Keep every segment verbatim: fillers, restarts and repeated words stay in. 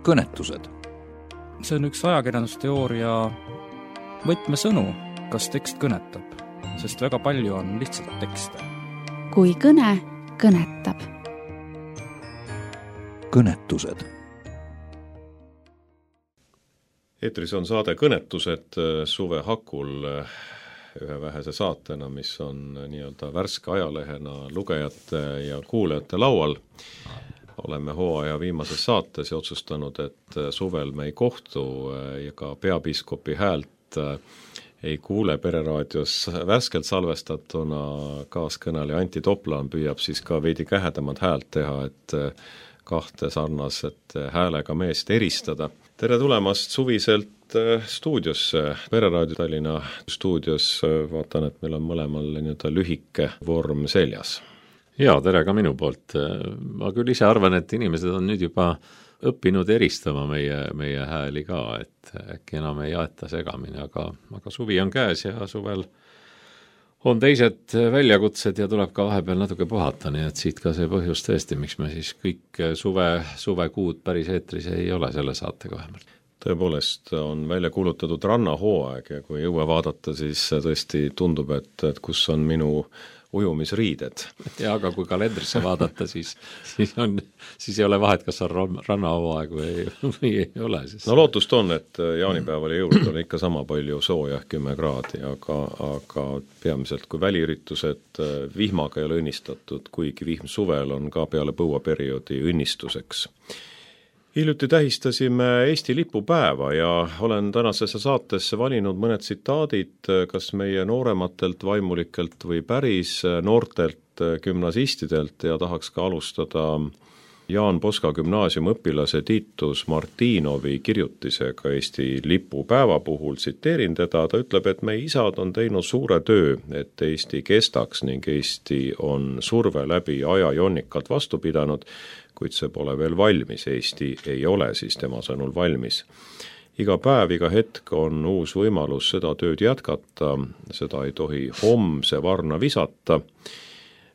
kõnetused. See on üks ajakirjandusteooria võtmesõnu, kas tekst kõnetab, sest väga palju on lihtsalt tekste. Kui kõne kõnetab. Kõnetused. Eetris on saade Kõnetused Suve Hakul ühe vähese saatena, mis on nii-öelda värske ajalehena lugejate ja kuulajate laual. Oleme hooaja viimases saates ja otsustanud, et suvel me ei kohtu ja ka peapiiskopi häält ei kuule Pereraadios värskelt salvestatuna. Kaaskõneleja Anti Toplan püüab siis ka veidi kähedamat häält teha, et kahte sarnaset häälega meest eristada. Tere tulemast suviselt stuudiosse, Pereraadio Tallinna stuudios. Vaatan, et meil on mõlemal nii-öelda lühike vorm seljas. Jaa, tere ka minu poolt. Ma küll ise arvan, et inimesed on nüüd juba õppinud eristama meie, meie hääli ka, et äkki enam ei aeta segamini, aga, aga suvi on käes ja suvel on teised väljakutsed ja tuleb ka vahepeal natuke puhata, nii et siit ka see põhjus tõesti, miks me siis kõik suve, suvekuud päris eetris ei ole selle saatega vähemalt. Tõepoolest on välja kuulutatud rannahooaeg ja kui jõua vaadata, siis tõesti tundub, et, et kus on minu ujumisriided. Ja aga kui kalendrisse vaadata, siis, siis, on, siis ei ole vahet, kas on rannahooaeg või, või ei ole. Siis. No lootust on, et jaanipäeval ja jõulud on ikka sama palju sooja, kümme kraadi, aga, aga peamiselt kui väliüritused vihmaga ei ole õnnistatud, kuigi vihm suvel on ka peale põuaperioodi õnnistuseks. Hiljuti tähistasime Eesti lipupäeva ja olen tänasesse saatesse valinud mõned tsitaadid kas meie noorematelt vaimulikelt või päris noortelt gümnasistidelt ja tahaks ka alustada Jaan Poska gümnaasiumi õpilase Titus Martinovi kirjutisega Eesti lipupäeva puhul. Tsiteerin teda, ta ütleb, et meie isad on teinud suure töö, et Eesti kestaks ning Eesti on surve läbi aja jonnikalt vastu pidanud, kuid see pole veel valmis. Eesti ei ole siis tema sõnul valmis. Iga päev, iga hetk on uus võimalus seda tööd jätkata, seda ei tohi homse varna visata.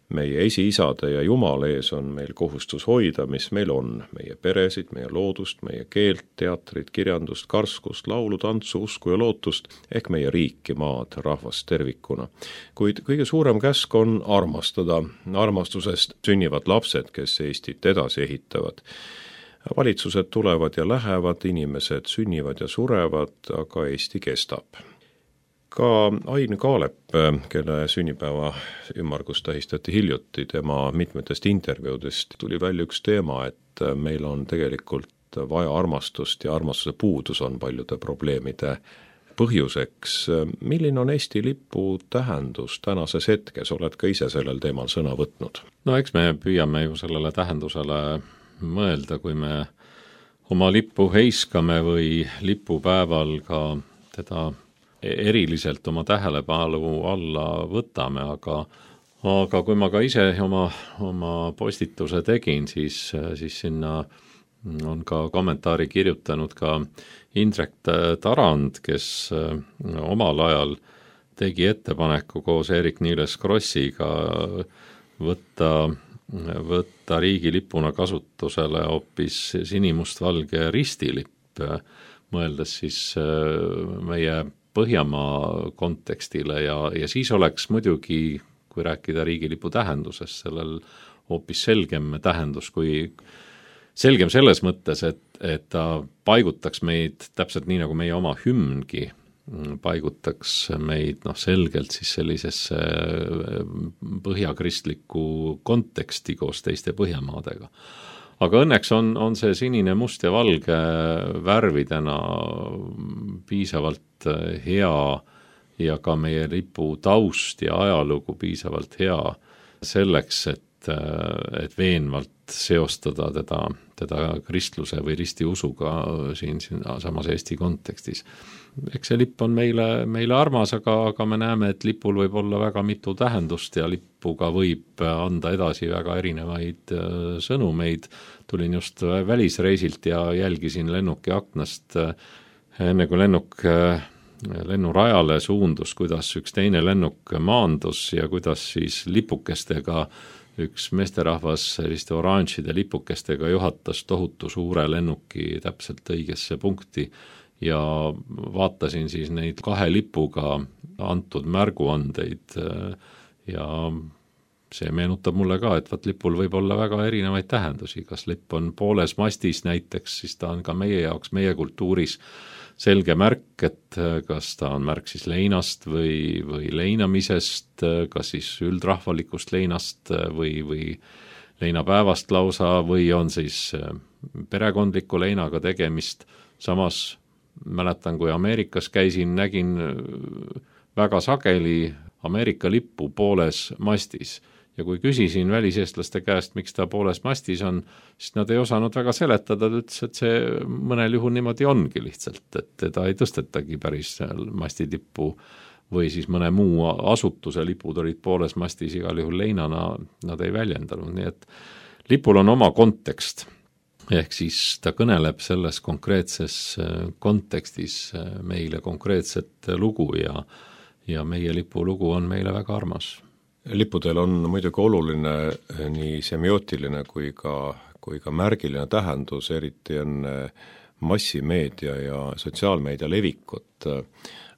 Meie esiisade ja Jumala ees on meil kohustus hoida, mis meil on, meie peresid, meie loodust, meie keelt, teatrit, kirjandust, karskust, laulu, tantsu, usku ja lootust, ehk meie riiki, maad, rahvast tervikuna. Kuid kõige suurem käsk on armastada. Armastusest sünnivad lapsed, kes Eestit edasi ehitavad. Valitsused tulevad ja lähevad, inimesed sünnivad ja surevad, aga Eesti kestab. Ka Ain Kaalep, kelle sünnipäeva ümmargust tähistati hiljuti, tema mitmetest intervjuudest tuli välja üks teema, et meil on tegelikult vaja armastust ja armastuse puudus on paljude probleemide põhjuseks. Milline on Eesti lipu tähendus tänases hetkes? Oled ka ise sellel teemal sõna võtnud? No eks me püüame ju sellele tähendusele mõelda, kui me oma lippu heiskame või lipupäeval ka teda eriliselt oma tähelepanu alla võtame, aga, aga kui ma ka ise oma, oma postituse tegin, siis, siis sinna on ka kommentaari kirjutanud ka Indrek Tarand, kes omal ajal tegi ettepaneku koos Eerik-Niiles Krossiga võtta, võtta riigilipuna kasutusele hoopis sinimustvalge ristilipp, mõeldes siis meie Põhjamaa kontekstile ja, ja siis oleks muidugi, kui rääkida riigilipu tähendusest, sellel hoopis selgem tähendus, kui selgem selles mõttes, et, et ta paigutaks meid täpselt nii, nagu meie oma hümngi paigutaks meid noh, selgelt siis sellisesse põhjakristliku konteksti koos teiste Põhjamaadega. Aga õnneks on, on see sinine, must ja valge värvidena piisavalt hea ja ka meie lipu taust ja ajalugu piisavalt hea selleks, et, et veenvalt seostada teda, teda kristluse või ristiusuga siin, siin samas Eesti kontekstis. Eks see lipp on meile, meile armas, aga, aga me näeme, et lipul võib olla väga mitu tähendust ja lippuga võib anda edasi väga erinevaid sõnumeid. Tulin just välisreisilt ja jälgisin lennuki aknast enne kui lennuk lennurajale suundus, kuidas üks teine lennuk maandus ja kuidas siis lipukestega üks meesterahvas selliste oranžide lipukestega juhatas tohutu suure lennuki täpselt õigesse punkti ja vaatasin siis neid kahe lipuga antud märguandeid ja see meenutab mulle ka, et vaat lipul võib olla väga erinevaid tähendusi, kas lipp on pooles mastis näiteks, siis ta on ka meie jaoks, meie kultuuris selge märk, et kas ta on märk siis leinast või, või leinamisest, kas siis üldrahvalikust leinast või, või leinapäevast lausa või on siis perekondliku leinaga tegemist. Samas mäletan, kui Ameerikas käisin, nägin väga sageli Ameerika lippu pooles mastis. Ja kui küsisin väliseestlaste käest, miks ta pooles mastis on, siis nad ei osanud väga seletada, ta ütles, et see mõnel juhul niimoodi ongi lihtsalt, et teda ei tõstetagi päris mastitippu või siis mõne muu asutuse lipud olid pooles mastis, igal juhul leinana nad ei väljendanud, nii et lipul on oma kontekst, ehk siis ta kõneleb selles konkreetses kontekstis meile konkreetset lugu ja, ja meie lipu lugu on meile väga armas. Lippudel on muidugi oluline nii semiootiline kui ka, kui ka märgiline tähendus, eriti enne massimeedia ja sotsiaalmeedia levikut,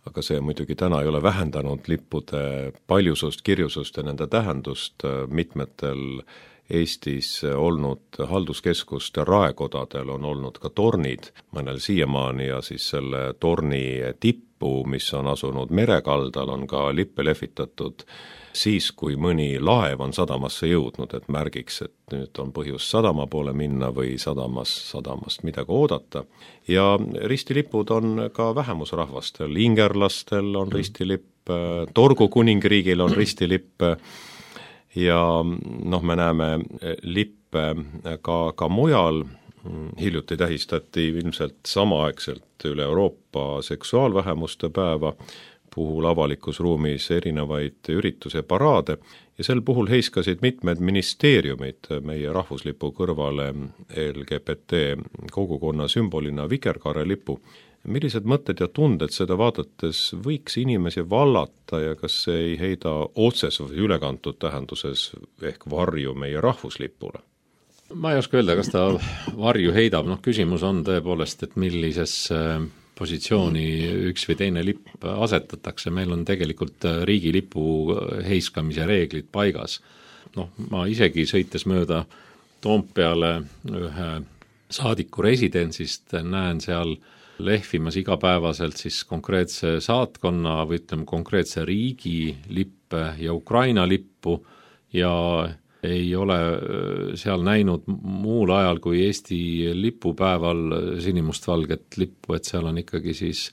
aga see muidugi täna ei ole vähendanud lippude paljusust, kirjusust ja nende tähendust. Mitmetel Eestis olnud halduskeskuste raekodadel on olnud ka tornid, mõnel siiamaani ja siis selle torni tippu, mis on asunud merekaldal, on ka lippe lehvitatud siis, kui mõni laev on sadamasse jõudnud, et märgiks, et nüüd on põhjus sadama poole minna või sadamas, sadamast midagi oodata. Ja ristilipud on ka vähemusrahvastel, ingerlastel on ristilipp, Torgu kuningriigil on ristilipp ja noh, me näeme lippe ka, ka mujal. Hiljuti tähistati ilmselt samaaegselt üle Euroopa seksuaalvähemuste päeva, puhul avalikus ruumis erinevaid ürituse paraade ja sel puhul heiskasid mitmed ministeeriumid meie rahvuslipu kõrvale L G B T kogukonna sümbolina vikerkaarelipu. Millised mõtted ja tunded seda vaadates võiks inimesi vallata ja kas see ei heida otses või ülekantud tähenduses ehk varju meie rahvuslipule? Ma ei oska öelda, kas ta varju heidab, noh küsimus on tõepoolest, et millises positsiooni üks või teine lipp asetatakse, meil on tegelikult riigilipu heiskamise reeglid paigas. Noh, ma isegi sõites mööda Toompeale ühe saadiku residentsist näen seal lehvimas igapäevaselt siis konkreetse saatkonna või ütleme konkreetse riigi lippe ja Ukraina lippu ja ei ole seal näinud muul ajal kui Eesti lipupäeval sinimustvalget lippu, et seal on ikkagi siis,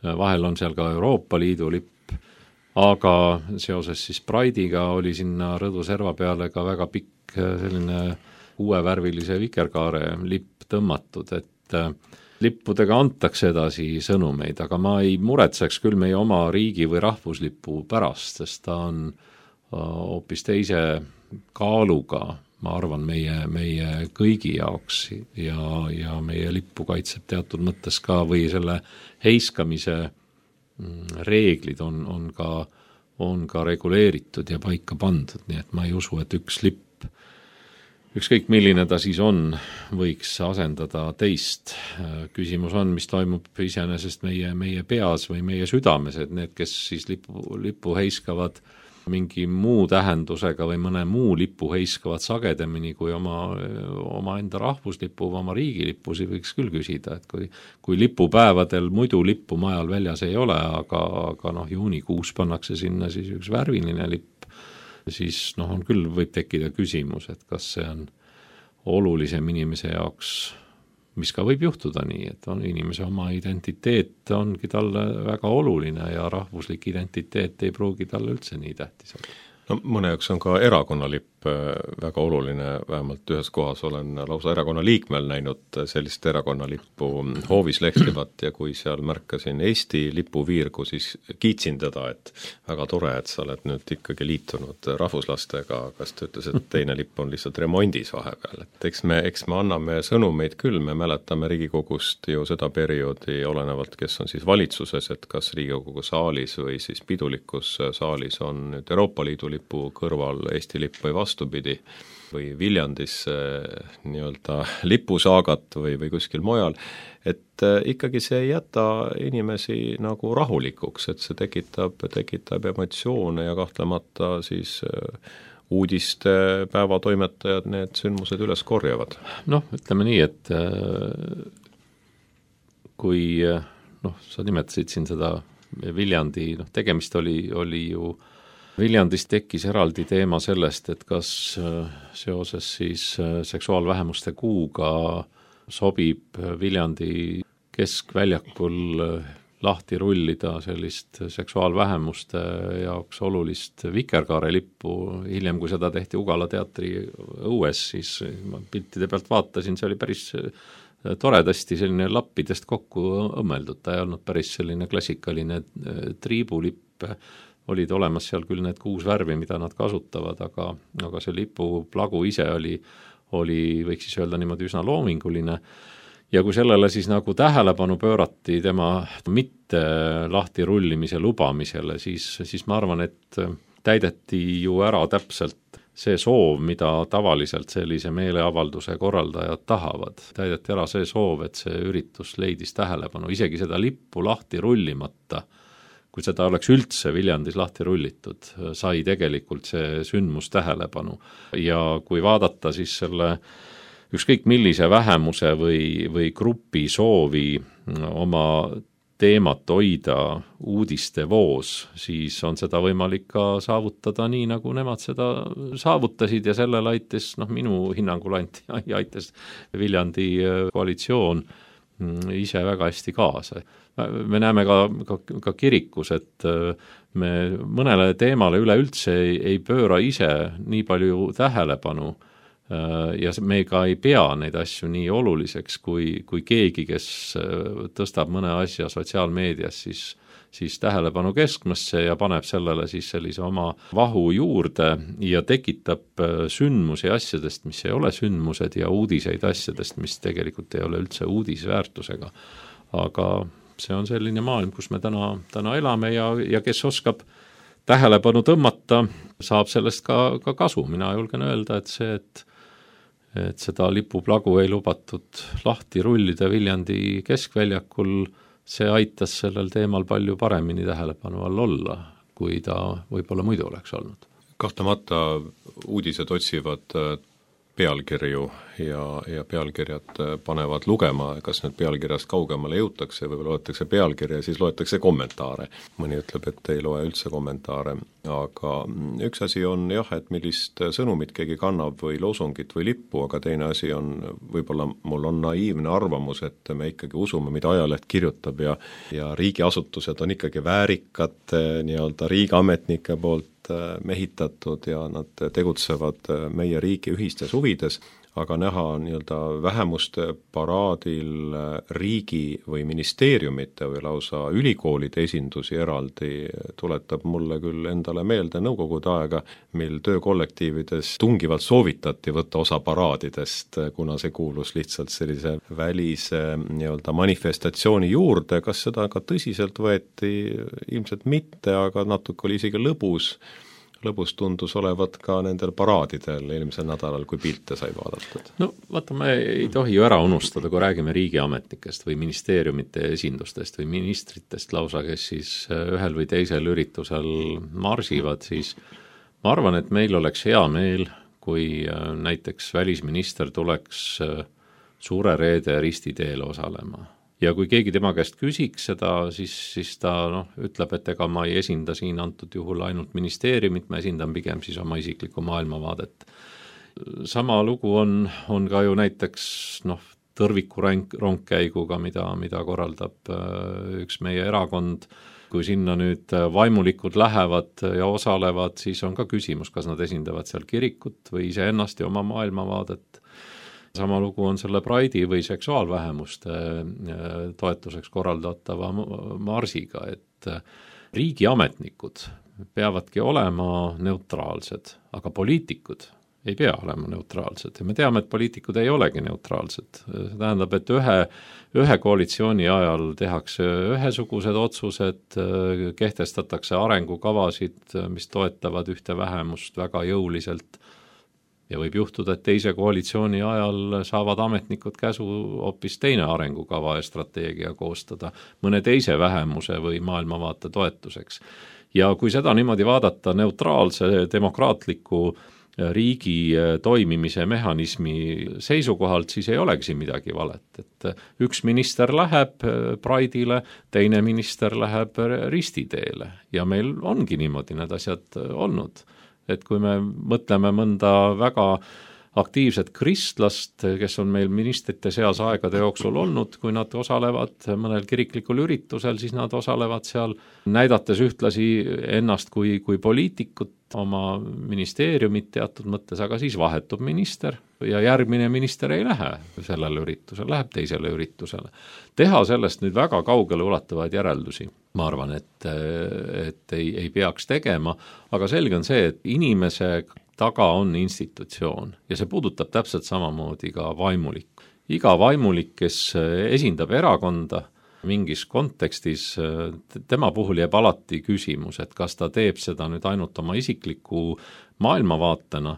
vahel on seal ka Euroopa Liidu lipp, aga seoses siis Pride'iga oli sinna Rõdu serva peale ka väga pikk selline uuevärvilise vikerkaare lipp tõmmatud, et lippudega antakse edasi sõnumeid, aga ma ei muretseks küll meie oma riigi või rahvuslipu pärast, sest ta on hoopis teise kaaluga, ma arvan, meie, meie kõigi jaoks ja, ja meie lippu kaitseb teatud mõttes ka või selle heiskamise reeglid on, on, ka, on ka reguleeritud ja paika pandud, nii et ma ei usu, et üks lipp, ükskõik milline ta siis on, võiks asendada teist. Küsimus on, mis toimub iseenesest meie, meie peas või meie südames, et need, kes siis lipu, lipu heiskavad mingi muu tähendusega või mõne muu lipu heiskavad sagedamini kui oma, oma enda rahvuslipu või oma riigilipusi, võiks küll küsida, et kui, kui lipupäevadel muidu lippu majal väljas ei ole, aga, aga noh, juunikuus pannakse sinna siis üks värviline lipp, siis noh, on küll võib tekkida küsimus, et kas see on olulisem inimese jaoks, mis ka võib juhtuda nii, et on inimese oma identiteet ongi talle väga oluline ja rahvuslik identiteet ei pruugi talle üldse nii tähtis olla. No mõne jaoks on ka erakonnalipp väga oluline, vähemalt ühes kohas olen lausa erakonna liikmel näinud sellist erakonnalippu hoovis lehtivat ja kui seal märkasin Eesti lipuviirgu, siis kiitsin teda, et väga tore, et sa oled nüüd ikkagi liitunud rahvuslastega, kas ta ütles, et teine lipp on lihtsalt remondis vahepeal. Et eks me, eks me anname sõnumeid küll, me mäletame Riigikogust ju seda perioodi olenevalt, kes on siis valitsuses, et kas Riigikogu saalis või siis pidulikus saalis on nüüd Euroopa Liidu lipu kõrval Eesti lipp või vastu, vastupidi, või Viljandisse nii-öelda lipusaagat või, või kuskil mujal, et ikkagi see ei jäta inimesi nagu rahulikuks, et see tekitab, tekitab emotsioone ja kahtlemata siis uudiste päevatoimetajad need sündmused üles korjavad. Noh, ütleme nii, et kui noh, sa nimetasid siin seda Viljandi, noh tegemist oli, oli ju Viljandis tekkis eraldi teema sellest, et kas seoses siis seksuaalvähemuste kuuga sobib Viljandi keskväljakul lahti rullida sellist seksuaalvähemuste jaoks olulist vikerkaarelippu. Hiljem, kui seda tehti Ugala teatri õues, siis ma piltide pealt vaatasin, see oli päris toredasti selline lappidest kokku õmmeldud, ta ei olnud päris selline klassikaline triibulipp, olid olemas seal küll need kuus värvi, mida nad kasutavad, aga, aga see lipu plagu ise oli, oli, võiks siis öelda niimoodi üsna loominguline. Ja kui sellele siis nagu tähelepanu pöörati tema mitte lahti rullimise lubamisele, siis, siis ma arvan, et täideti ju ära täpselt see soov, mida tavaliselt sellise meeleavalduse korraldajad tahavad. Täideti ära see soov, et see üritus leidis tähelepanu, isegi seda lippu lahti rullimata, kui seda oleks üldse Viljandis lahti rullitud, sai tegelikult see sündmus tähelepanu. Ja kui vaadata siis selle ükskõik millise vähemuse või, või grupi soovi oma teemat hoida uudiste voos, siis on seda võimalik ka saavutada nii, nagu nemad seda saavutasid ja sellele aitas, noh minu hinnangul anti, aitas Viljandi koalitsioon ise väga hästi kaasa. Me näeme ka, ka, ka kirikus, et me mõnele teemale üleüldse ei, ei pööra ise nii palju tähelepanu ja me ka ei pea neid asju nii oluliseks, kui, kui keegi, kes tõstab mõne asja sotsiaalmeedias, siis, siis tähelepanu keskmesse ja paneb sellele siis sellise oma vahu juurde ja tekitab sündmusi asjadest, mis ei ole sündmused ja uudiseid asjadest, mis tegelikult ei ole üldse uudisväärtusega. Aga see on selline maailm, kus me täna, täna elame ja, ja kes oskab tähelepanu tõmmata, saab sellest ka, ka kasu. Mina julgen öelda, et see, et et seda lipuplagu ei lubatud lahti rullida Viljandi keskväljakul, see aitas sellel teemal palju paremini tähelepanu all olla, kui ta võib-olla muidu oleks olnud. Kahtlemata uudised otsivad pealkirju ja, ja pealkirjad panevad lugema, kas nüüd pealkirjast kaugemale jõutakse, võib-olla loetakse pealkirja ja siis loetakse kommentaare. Mõni ütleb, et ei loe üldse kommentaare, aga üks asi on jah, et millist sõnumit keegi kannab või loosungit või lippu, aga teine asi on, võib-olla mul on naiivne arvamus, et me ikkagi usume, mida ajaleht kirjutab ja, ja riigiasutused on ikkagi väärikad nii-öelda riigiametnike poolt mehitatud ja nad tegutsevad meie riigi ühistes huvides, aga näha nii-öelda vähemuste paraadil riigi või ministeeriumite või lausa ülikoolide esindusi eraldi tuletab mulle küll endale meelde nõukogude aega, mil töökollektiivides tungivalt soovitati võtta osa paraadidest, kuna see kuulus lihtsalt sellise välise nii-öelda manifestatsiooni juurde. Kas seda ka tõsiselt võeti? Ilmselt mitte, aga natuke oli isegi lõbus. Lõbus tundus olevat ka nendel paraadidel eelmisel nädalal, kui pilte sai vaadatud. No vaata, me ei tohi ju ära unustada, kui räägime riigiametnikest või ministeeriumite esindustest või ministritest lausa, kes siis ühel või teisel üritusel marsivad, siis ma arvan, et meil oleks hea meel, kui näiteks välisminister tuleks Suure Reede ristiteel osalema. Ja kui keegi tema käest küsiks seda, siis, siis ta noh, ütleb, et ega ma ei esinda siin antud juhul ainult ministeeriumit, ma esindan pigem siis oma isiklikku maailmavaadet. Sama lugu on, on ka ju näiteks noh, tõrviku rongkäiguga, mida, mida korraldab üks meie erakond. Kui sinna nüüd vaimulikud lähevad ja osalevad, siis on ka küsimus, kas nad esindavad seal kirikut või iseennast ja oma maailmavaadet. Sama lugu on selle Pride'i või seksuaalvähemuste toetuseks korraldatava marsiga, et riigiametnikud peavadki olema neutraalsed, aga poliitikud ei pea olema neutraalsed. Ja me teame, et poliitikud ei olegi neutraalsed. See tähendab, et ühe, ühe koalitsiooni ajal tehakse ühesugused otsused, kehtestatakse arengukavasid, mis toetavad ühte vähemust väga jõuliselt. ja võib juhtuda, et teise koalitsiooni ajal saavad ametnikud käsu hoopis teine arengukava ja strateegia koostada mõne teise vähemuse või maailmavaate toetuseks. Ja kui seda niimoodi vaadata neutraalse demokraatliku riigi toimimise mehhanismi seisukohalt, siis ei olegi siin midagi valet. Et üks minister läheb Pride'ile, teine minister läheb ristiteele ja meil ongi niimoodi need asjad olnud. Et kui me mõtleme mõnda väga aktiivset kristlast, kes on meil ministrite seas aegade jooksul olnud, kui nad osalevad mõnel kiriklikul üritusel, siis nad osalevad seal, näidates ühtlasi ennast kui, kui poliitikut, oma ministeeriumit teatud mõttes, aga siis vahetub minister ja järgmine minister ei lähe sellele üritusele, läheb teisele üritusele. Teha sellest nüüd väga kaugele ulatuvaid järeldusi, ma arvan, et, et ei, ei peaks tegema, aga selge on see, et inimese taga on institutsioon ja see puudutab täpselt samamoodi ka vaimulik. Iga vaimulik, kes esindab erakonda mingis kontekstis, tema puhul jääb alati küsimus, et kas ta teeb seda nüüd ainult oma isikliku maailmavaatena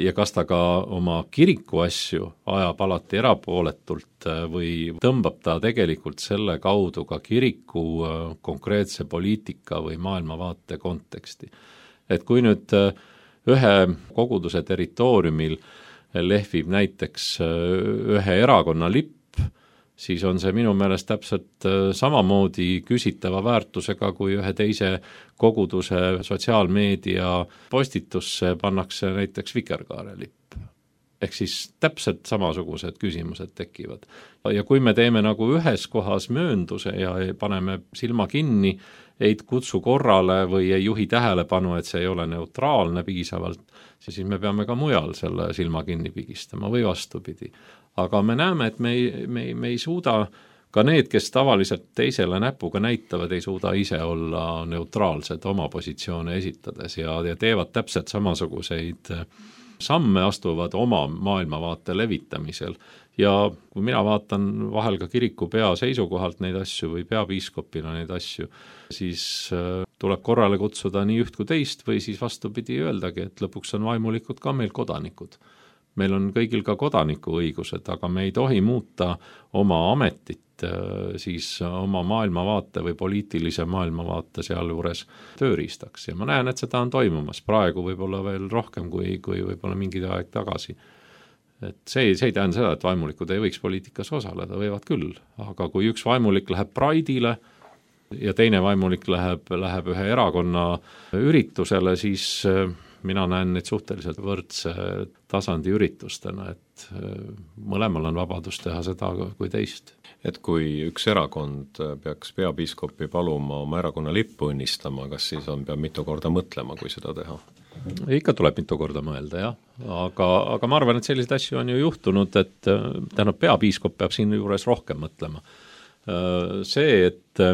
ja kas ta ka oma kiriku asju ajab alati erapooletult või tõmbab ta tegelikult selle kaudu ka kiriku konkreetse poliitika või maailmavaate konteksti. Et kui nüüd ühe koguduse territooriumil lehvib näiteks ühe erakonna lipp, siis on see minu meelest täpselt samamoodi küsitava väärtusega, kui ühe teise koguduse sotsiaalmeedia postitusse pannakse näiteks vikerkaare lipp. Ehk siis täpselt samasugused küsimused tekivad. Ja kui me teeme nagu ühes kohas möönduse ja paneme silma kinni, ei kutsu korrale või ei juhi tähelepanu, et see ei ole neutraalne piisavalt, siis me peame ka mujal selle silma kinni pigistama või vastupidi. Aga me näeme, et me ei, me, ei, me ei suuda, ka need, kes tavaliselt teisele näpuga näitavad, ei suuda ise olla neutraalsed oma positsioone esitades ja, ja teevad täpselt samasuguseid samme, astuvad oma maailmavaate levitamisel. Ja kui mina vaatan vahel ka kiriku pea seisukohalt neid asju või peapiiskopina neid asju, siis tuleb korrale kutsuda nii üht kui teist või siis vastupidi öeldagi, et lõpuks on vaimulikud ka meil kodanikud. Meil on kõigil ka kodanikuõigused, aga me ei tohi muuta oma ametit siis oma maailmavaate või poliitilise maailmavaate sealjuures tööriistaks. Ja ma näen, et seda on toimumas praegu võib-olla veel rohkem kui, kui võib-olla mingi aeg tagasi. Et see, see ei tähenda seda, et vaimulikud ei võiks poliitikas osaleda, võivad küll. Aga kui üks vaimulik läheb Pride'ile ja teine vaimulik läheb, läheb ühe erakonna üritusele, siis mina näen neid suhteliselt võrdse tasandi üritustena, et mõlemal on vabadus teha seda kui teist. Et kui üks erakond peaks peapiiskopi paluma oma erakonna lippu õnnistama, kas siis on, peab mitu korda mõtlema, kui seda teha? Ikka tuleb mitu korda mõelda, jah. Aga, aga ma arvan, et selliseid asju on ju juhtunud, et tähendab, peapiiskop peab siin juures rohkem mõtlema. See, et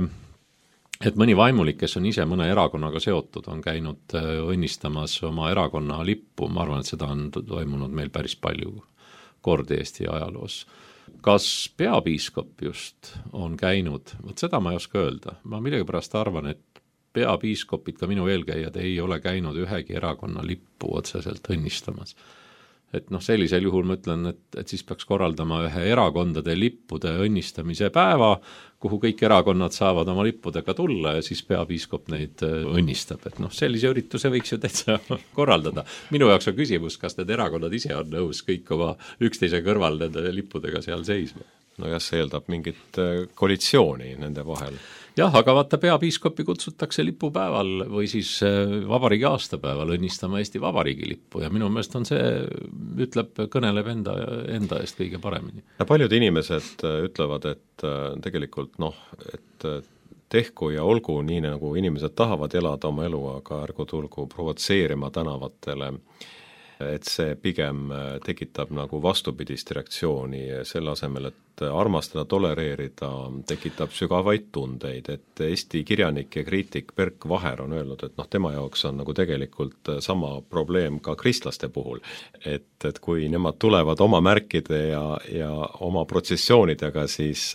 et mõni vaimulik, kes on ise mõne erakonnaga seotud, on käinud õnnistamas oma erakonna lippu, ma arvan, et seda on toimunud meil päris palju kordi Eesti ajaloos. Kas peapiiskop just on käinud, võt seda ma ei oska öelda. Ma millegipärast arvan, et peapiiskopid, ka minu eelkäijad, ei ole käinud ühegi erakonna lippu otseselt õnnistamas. Et noh, sellisel juhul ma ütlen, et, et siis peaks korraldama ühe erakondade lippude õnnistamise päeva, kuhu kõik erakonnad saavad oma lippudega tulla ja siis peapiiskop neid õnnistab. Et noh, sellise ürituse võiks ju täitsa korraldada. Minu jaoks on küsimus, kas need erakonnad ise on nõus kõik oma üksteise kõrval nende lippudega seal seisma. No jah, see eeldab mingit koalitsiooni nende vahel. Jah, aga vaata, peapiiskopi kutsutakse lipupäeval või siis vabariigi aastapäeval õnnistama Eesti Vabariigi lippu ja minu meelest on see, ütleb, kõneleb enda, enda eest kõige paremini. Ja paljud inimesed ütlevad, et tegelikult noh, et tehku ja olgu nii, nagu inimesed tahavad elada oma elu, aga ärgu tulgu provotseerima tänavatele, et see pigem tekitab nagu vastupidist reaktsiooni selle asemel, et armastada, tolereerida, tekitab sügavaid tundeid, et Eesti kirjanik ja kriitik Berk Vaher on öelnud, et noh, tema jaoks on nagu tegelikult sama probleem ka kristlaste puhul, et, et kui nemad tulevad oma märkide ja, ja oma protsessioonidega, siis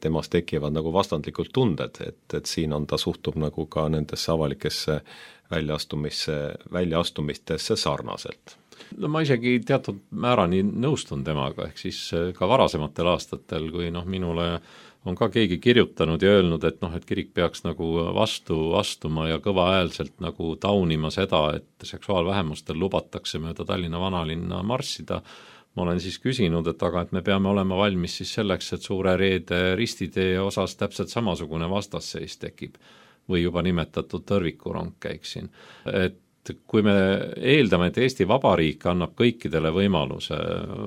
temast tekivad nagu vastandlikult tunded, et, et siin on ta suhtub nagu ka nendesse avalikesse väljaastumisse, väljaastumistesse sarnaselt. no ma isegi teatud määrani nõustun temaga, ehk siis ka varasematel aastatel, kui noh, minule on ka keegi kirjutanud ja öelnud, et noh, et kirik peaks nagu vastu astuma ja kõvaäälselt nagu taunima seda, et seksuaalvähemustel lubatakse mööda Tallinna vanalinna marssida. Ma olen siis küsinud, et aga et me peame olema valmis siis selleks, et Suure Reede ristitee osas täpselt samasugune vastasseis tekib või juba nimetatud tõrvikurong käiks siin. Et kui me eeldame, et Eesti Vabariik annab kõikidele võimaluse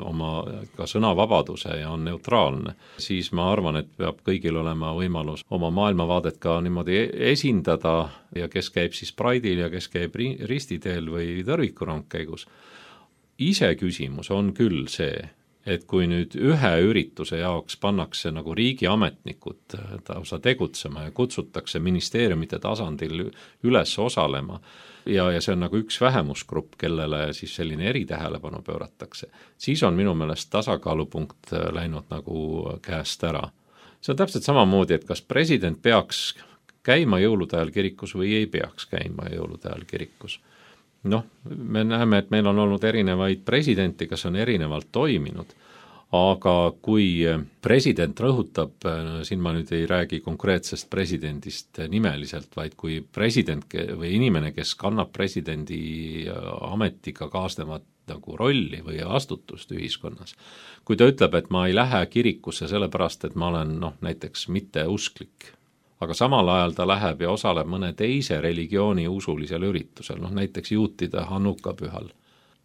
oma ka sõnavabaduse ja on neutraalne, siis ma arvan, et peab kõigil olema võimalus oma maailmavaadet ka niimoodi esindada ja kes käib siis Pride'il ja kes käib ristiteel või tõrvikurong käigus. Ise küsimus on küll see, et kui nüüd ühe ürituse jaoks pannakse nagu riigiametnikud tausa tegutsema ja kutsutakse ministeeriumite tasandil üles osalema ja, ja see on nagu üks vähemusgrupp, kellele siis selline eritähelepanu pööratakse, siis on minu meelest tasakaalupunkt läinud nagu käest ära. See on täpselt samamoodi, et kas president peaks käima jõulude ajal kirikus või ei peaks käima jõulude ajal kirikus. Noh, me näeme, et meil on olnud erinevaid presidenti, kes on erinevalt toiminud, aga kui president rõhutab, siin ma nüüd ei räägi konkreetsest presidendist nimeliselt, vaid kui president või inimene, kes kannab presidendi ametiga kaasnevat nagu rolli või vastutust ühiskonnas, kui ta ütleb, et ma ei lähe kirikusse sellepärast, et ma olen noh, näiteks mitte usklik, aga samal ajal ta läheb ja osaleb mõne teise religiooni usulisel üritusel, noh näiteks juutide Hanuka pühal,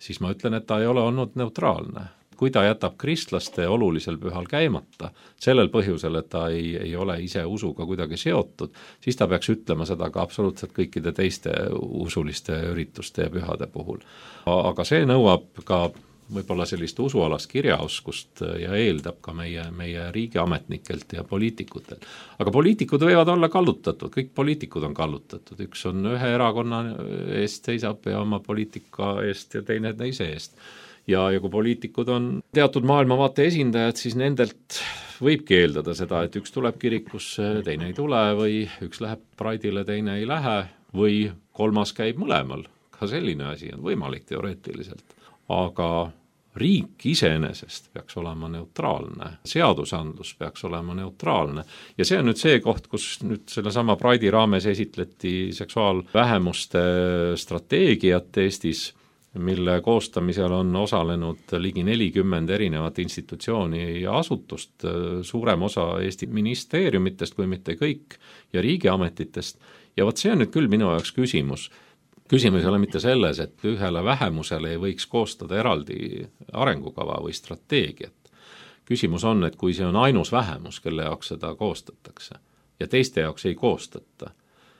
siis ma ütlen, et ta ei ole olnud neutraalne. Kui ta jätab kristlaste olulisel pühal käimata, sellel põhjusel, et ta ei, ei ole ise usuga kuidagi seotud, siis ta peaks ütlema seda ka absoluutselt kõikide teiste usuliste ürituste ja pühade puhul. Aga see nõuab ka võib-olla sellist usualast kirjaoskust ja eeldab ka meie, meie riigiametnikelt ja poliitikutelt. Aga poliitikud võivad olla kallutatud, kõik poliitikud on kallutatud, üks on ühe erakonna eest seisab ja oma poliitika eest ja teine teise eest. Ja, ja kui poliitikud on teatud maailmavaate esindajad, siis nendelt võibki eeldada seda, et üks tuleb kirikusse, teine ei tule või üks läheb Pride'ile, teine ei lähe või kolmas käib mõlemal. Ka selline asi on võimalik teoreetiliselt. Aga riik iseenesest peaks olema neutraalne, seadusandlus peaks olema neutraalne ja see on nüüd see koht, kus nüüd selle sama Pride'i raames esitleti seksuaalvähemuste strateegiat Eestis, mille koostamisel on osalenud ligi nelikümmend erinevat institutsiooni ja asutust, suurem osa Eesti ministeeriumitest, kui mitte kõik, ja riigiametitest. Ja võt see on nüüd küll minu jaoks küsimus. Küsimus ei ole mitte selles, et ühele vähemusele ei võiks koostada eraldi arengukava või strateegiat. Küsimus on, et kui see on ainus vähemus, kelle jaoks seda koostatakse ja teiste jaoks ei koostata.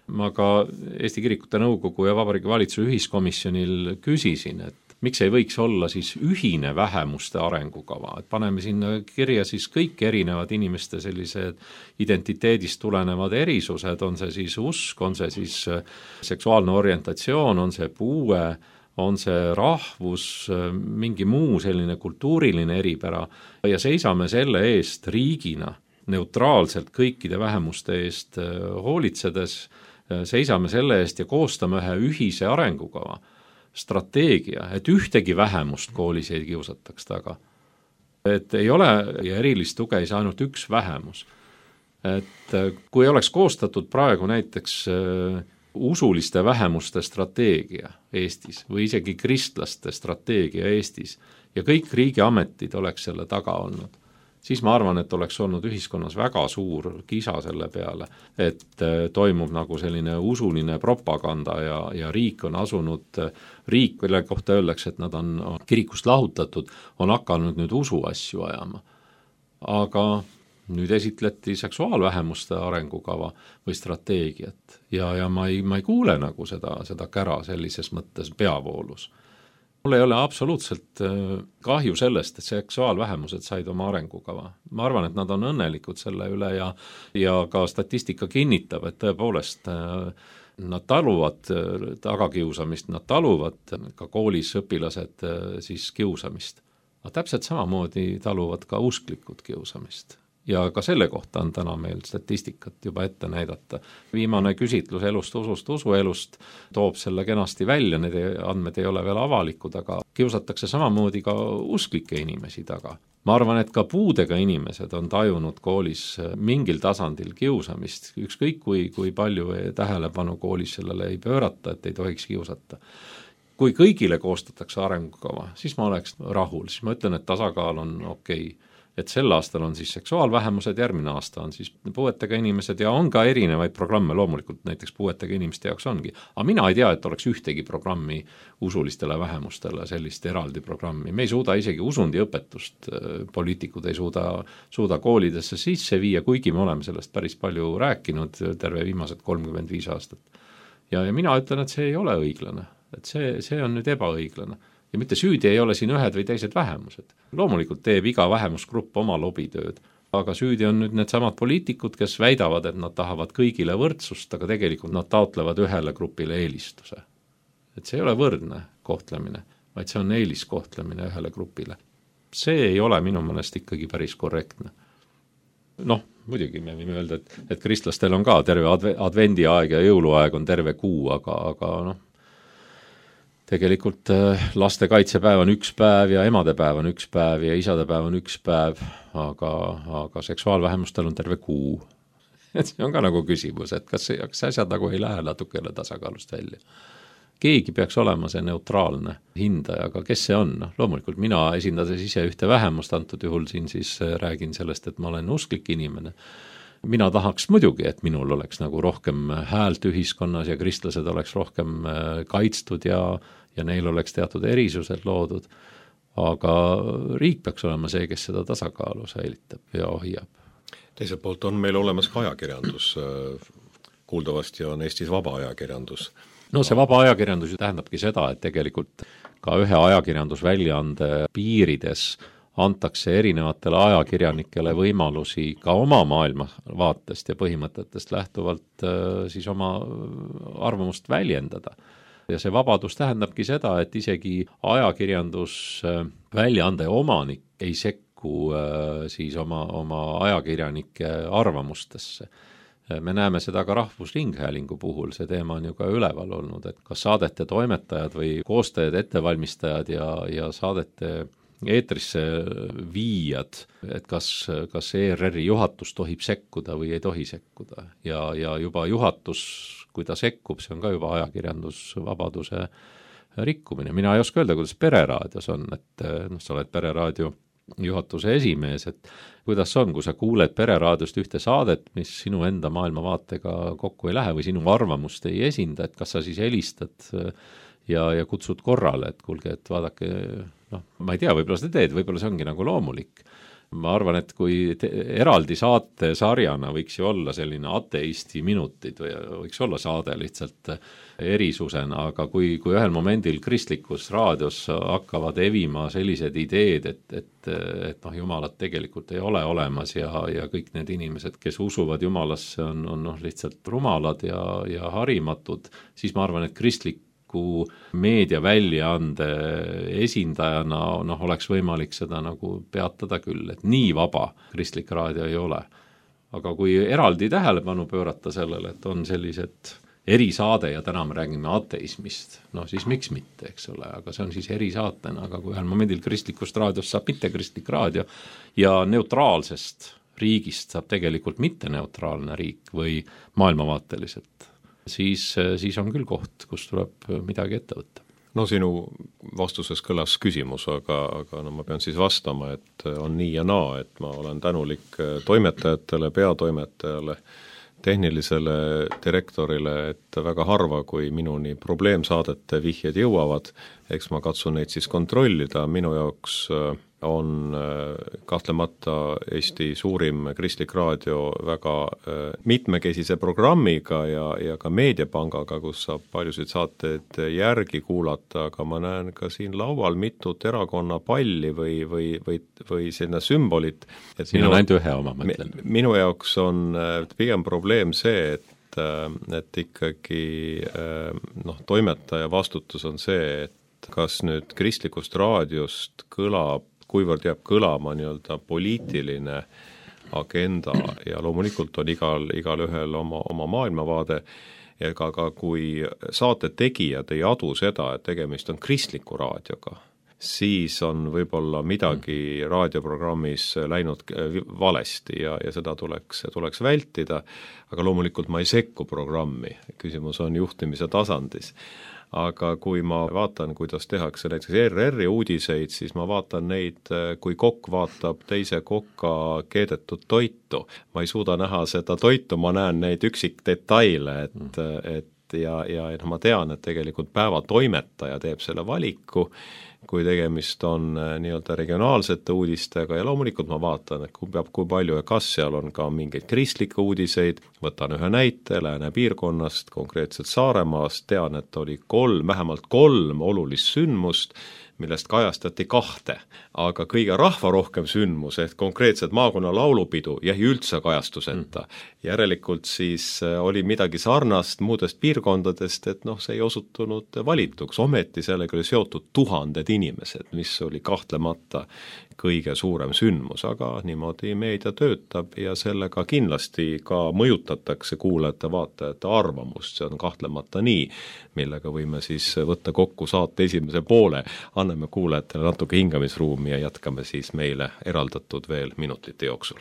Ma ka Eesti Kirikute Nõukogu ja Vabariigi Valitsuse ühiskomisjonil küsisin, et miks ei võiks olla siis ühine vähemuste arengukava, et paneme sinna kirja siis kõik erinevad inimeste sellised identiteedist tulenevad erisused, on see siis usk, on see siis seksuaalne orientatsioon, on see puue, on see rahvus, mingi muu selline kultuuriline eripära ja seisame selle eest riigina neutraalselt kõikide vähemuste eest hoolitsedes, seisame selle eest ja koostame ühe ühise arengukava, strateegia, et ühtegi vähemust koolis ei kiusataks taga. Et ei ole ja erilist tuge ei saa ainult üks vähemus. Et kui oleks koostatud praegu näiteks usuliste vähemuste strateegia Eestis või isegi kristlaste strateegia Eestis ja kõik riigiametid oleks selle taga olnud, siis ma arvan, et oleks olnud ühiskonnas väga suur kisa selle peale, et toimub nagu selline usuline propaganda ja, ja riik on asunud, riik, mille kohta öeldakse, et nad on kirikust lahutatud, on hakanud nüüd usu asju ajama. Aga nüüd esitleti seksuaalvähemuste arengukava või strateegiat ja, ja ma ei, ma ei kuule nagu seda, seda kära sellises mõttes peavoolus. Mul ei ole absoluutselt kahju sellest, et seksuaalvähemused said oma arengukava. Ma arvan, et nad on õnnelikud selle üle ja, ja ka statistika kinnitab, et tõepoolest nad taluvad tagakiusamist, nad taluvad ka koolis õpilased siis kiusamist. Aga täpselt samamoodi taluvad ka usklikud kiusamist. Ja ka selle kohta on täna meil statistikat juba ette näidata. Viimane küsitlus elust, usust, usuelust toob selle kenasti välja, need andmed ei ole veel avalikud, aga kiusatakse samamoodi ka usklikke inimesi taga. Ma arvan, et ka puudega inimesed on tajunud koolis mingil tasandil kiusamist, ükskõik kui, kui palju tähelepanu koolis sellele ei pöörata, et ei tohiks kiusata. Kui kõigile koostatakse arengukava, siis ma oleks rahul, siis ma ütlen, et tasakaal on okei. Et sel aastal on siis seksuaalvähemused, järgmine aasta on siis puuetega inimesed ja on ka erinevaid programme, loomulikult näiteks puuetega inimeste jaoks ongi. Aga mina ei tea, et oleks ühtegi programmi usulistele vähemustele, sellist eraldi programmi. Me ei suuda isegi usundiõpetust, poliitikud ei suuda, suuda koolidesse sisse viia, kuigi me oleme sellest päris palju rääkinud terve viimased kolmkümmend viis aastat. Ja, ja mina ütlen, et see ei ole õiglane, et see, see on nüüd ebaõiglane. Ja mitte süüdi ei ole siin ühed või teised vähemused. Loomulikult teeb iga vähemusgrupp oma lobitööd, aga süüdi on nüüd need samad poliitikud, kes väidavad, et nad tahavad kõigile võrdsust, aga tegelikult nad taotlevad ühele grupile eelistuse. Et see ei ole võrdne kohtlemine, vaid see on eeliskohtlemine ühele grupile. See ei ole minu mõnest ikkagi päris korrektne. Noh, muidugi me võime öelda, et, et kristlastel on ka terve advendi aeg ja jõuluaeg on terve kuu, aga, aga noh, tegelikult laste kaitsepäev on üks päev ja emadepäev on üks päev ja isadepäev on üks päev, aga, aga seksuaalvähemustel on terve kuu. Et see on ka nagu küsimus, et kas, kas asjad nagu ei lähe natukene tasakaalust välja. Keegi peaks olema see neutraalne hindaja, aga kes see on? Loomulikult mina esindades ise ühte vähemust, antud juhul siin siis räägin sellest, et ma olen usklik inimene. Mina tahaks muidugi, et minul oleks nagu rohkem häält ühiskonnas ja kristlased oleks rohkem kaitstud ja, ja neil oleks teatud erisused loodud, aga riik peaks olema see, kes seda tasakaalu säilitab ja hoiab. Teiselt poolt on meil olemas ka ajakirjandus, kuuldavasti on Eestis vaba ajakirjandus. No see vaba ajakirjandus tähendabki seda, et tegelikult ka ühe ajakirjandusväljaande piirides antakse erinevatele ajakirjanikele võimalusi ka oma maailmavaatest ja põhimõtetest lähtuvalt siis oma arvamust väljendada. Ja see vabadus tähendabki seda, et isegi ajakirjandus väljaande omanik ei sekku siis oma, oma ajakirjanike arvamustesse. Me näeme seda ka Rahvusringhäälingu puhul, see teema on ju ka üleval olnud, et kas saadete toimetajad või koostajad, ettevalmistajad ja, ja saadete eetrisse viijad, et kas, kas E R R-i juhatus tohib sekkuda või ei tohi sekkuda. Ja, ja juba juhatus, kui ta sekkub, see on ka juba ajakirjandusvabaduse rikkumine. Mina ei oska öelda, kuidas Pereraadios on, et noh, sa oled Pereraadio juhatuse esimees, et kuidas on, kui sa kuuled Pereraadiost ühte saadet, mis sinu enda maailmavaatega kokku ei lähe või sinu arvamust ei esinda, et kas sa siis helistad ja, ja kutsud korrale, et kuulge, et vaadake, noh, ma ei tea, võib-olla seda teed, võib-olla see ongi nagu loomulik. Ma arvan, et kui te, eraldi saate sarjana võiks ju olla selline ateisti minutid või võiks olla saade lihtsalt erisusena, aga kui, kui ühel momendil kristlikus raadios hakkavad evima sellised ideed, et, et, et noh, jumalat tegelikult ei ole olemas ja, ja kõik need inimesed, kes usuvad jumalasse, on, on noh, lihtsalt rumalad ja, ja harimatud, siis ma arvan, et kristlik meediaväljaande esindajana noh, oleks võimalik seda nagu peatada küll, et nii vaba kristlik raadio ei ole. Aga kui eraldi tähelepanu pöörata sellele, et on sellised erisaade ja täna me räägime ateismist, no siis miks mitte, eks ole, aga see on siis erisaatena, aga kui ühel momendil kristlikust raadiost saab mitte kristlik raadio ja neutraalsest riigist saab tegelikult mitte neutraalne riik või maailmavaateliselt, siis, siis on küll koht, kus tuleb midagi ette võtta. No sinu vastuses kõlas küsimus, aga, aga no ma pean siis vastama, et on nii ja naa, et ma olen tänulik toimetajatele, peatoimetajale, tehnilisele direktorile, et väga harva, kui minuni probleemsaadete vihjed jõuavad, eks ma katsun neid siis kontrollida, minu jaoks on kahtlemata Eesti suurim kristlik raadio väga mitmekesise programmiga ja, ja ka meediapangaga, kus saab paljusid saateid järgi kuulata, aga ma näen ka siin laual mitut erakonna palli või, või, või, või selline sümbolit. Et siin minu, on ainult ühe oma, ma ütlen. Minu jaoks on pigem probleem see, et, et ikkagi noh, toimetaja vastutus on see, et kas nüüd kristlikust raadiost kõlab, kuivõrd jääb kõlama nii-öelda poliitiline agenda ja loomulikult on igal, igal ühel oma, oma maailmavaade ja ka, ka kui saate tegijad ei adu seda, et tegemist on kristliku raadioga, siis on võib-olla midagi raadioprogrammis läinud valesti ja, ja seda tuleks, tuleks vältida, aga loomulikult ma ei sekku programmi, küsimus on juhtimise tasandis. Aga kui ma vaatan, kuidas tehakse näiteks R R-i uudiseid, siis ma vaatan neid, kui kokk vaatab teise kokka keedetud toitu. Ma ei suuda näha seda toitu, ma näen neid üksikdetaile, et, mm. et ja, ja no ma tean, et tegelikult päeva toimetaja teeb selle valiku, kui tegemist on nii-öelda regionaalsete uudistega ja loomulikult ma vaatan, et kui peab, kui palju ja kas seal on ka mingeid kristlikke uudiseid, võtan ühe näite Lääne piirkonnast, konkreetselt Saaremaast, tean, et oli kolm, vähemalt kolm olulist sündmust, millest kajastati kahte, aga kõige rahvarohkem sündmus, ehk konkreetselt maakonna laulupidu jäi üldse kajastuseta. Mm. Järelikult siis oli midagi sarnast muudest piirkondadest, et noh, see ei osutunud valituks, ometi sellega oli seotud tuhanded inimesed, mis oli kahtlemata kõige suurem sündmus, aga niimoodi meedia töötab ja sellega kindlasti ka mõjutatakse kuulajate, vaatajate arvamust, see on kahtlemata nii, millega võime siis võtta kokku saate esimese poole, anname kuulajatele natuke hingamisruumi ja jätkame siis meile eraldatud veel minutite jooksul.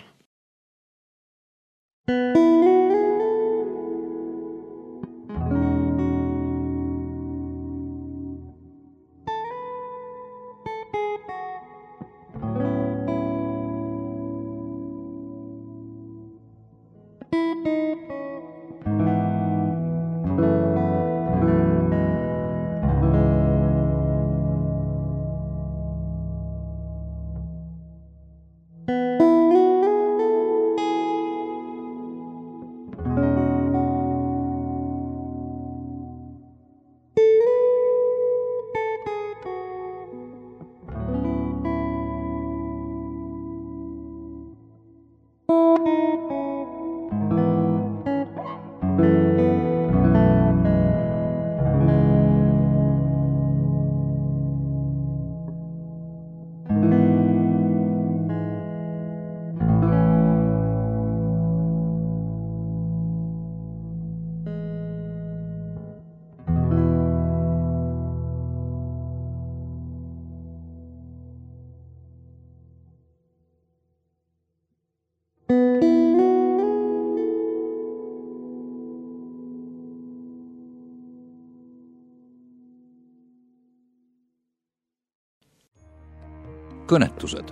Kõnetused.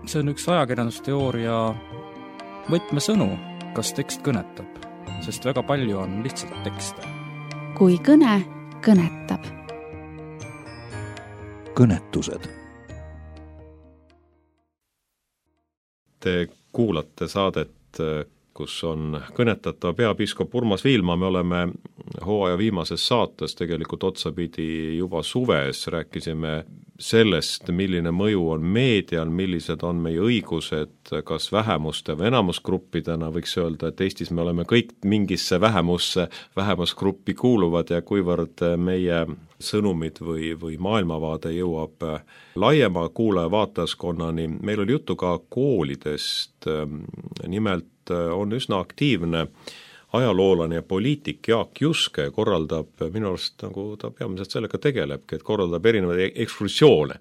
See on üks ajakirjandusteooria võtmesõnu, kas tekst kõnetab, sest väga palju on lihtsalt tekste. Kui kõne kõnetab. Kõnetused. Te kuulate saadet, kus on kõnetatav peapiiskop Urmas Viilma, me oleme hooaja viimases saates tegelikult otsapidi juba suves, rääkisime sellest, milline mõju on meedial, millised on meie õigused, kas vähemuste või enamusgruppidena, võiks öelda, et Eestis me oleme kõik mingisse vähemusse, vähemusgruppi kuuluvad ja kuivõrd meie sõnumid või, või maailmavaade jõuab laiema kuulaja vaatajaskonnani. Meil oli juttu ka koolidest, nimelt on üsna aktiivne ajaloolane ja poliitik Jaak Juske korraldab, minu arust nagu ta peamiselt sellega tegelebki, et korraldab erinevaid ekskursioone.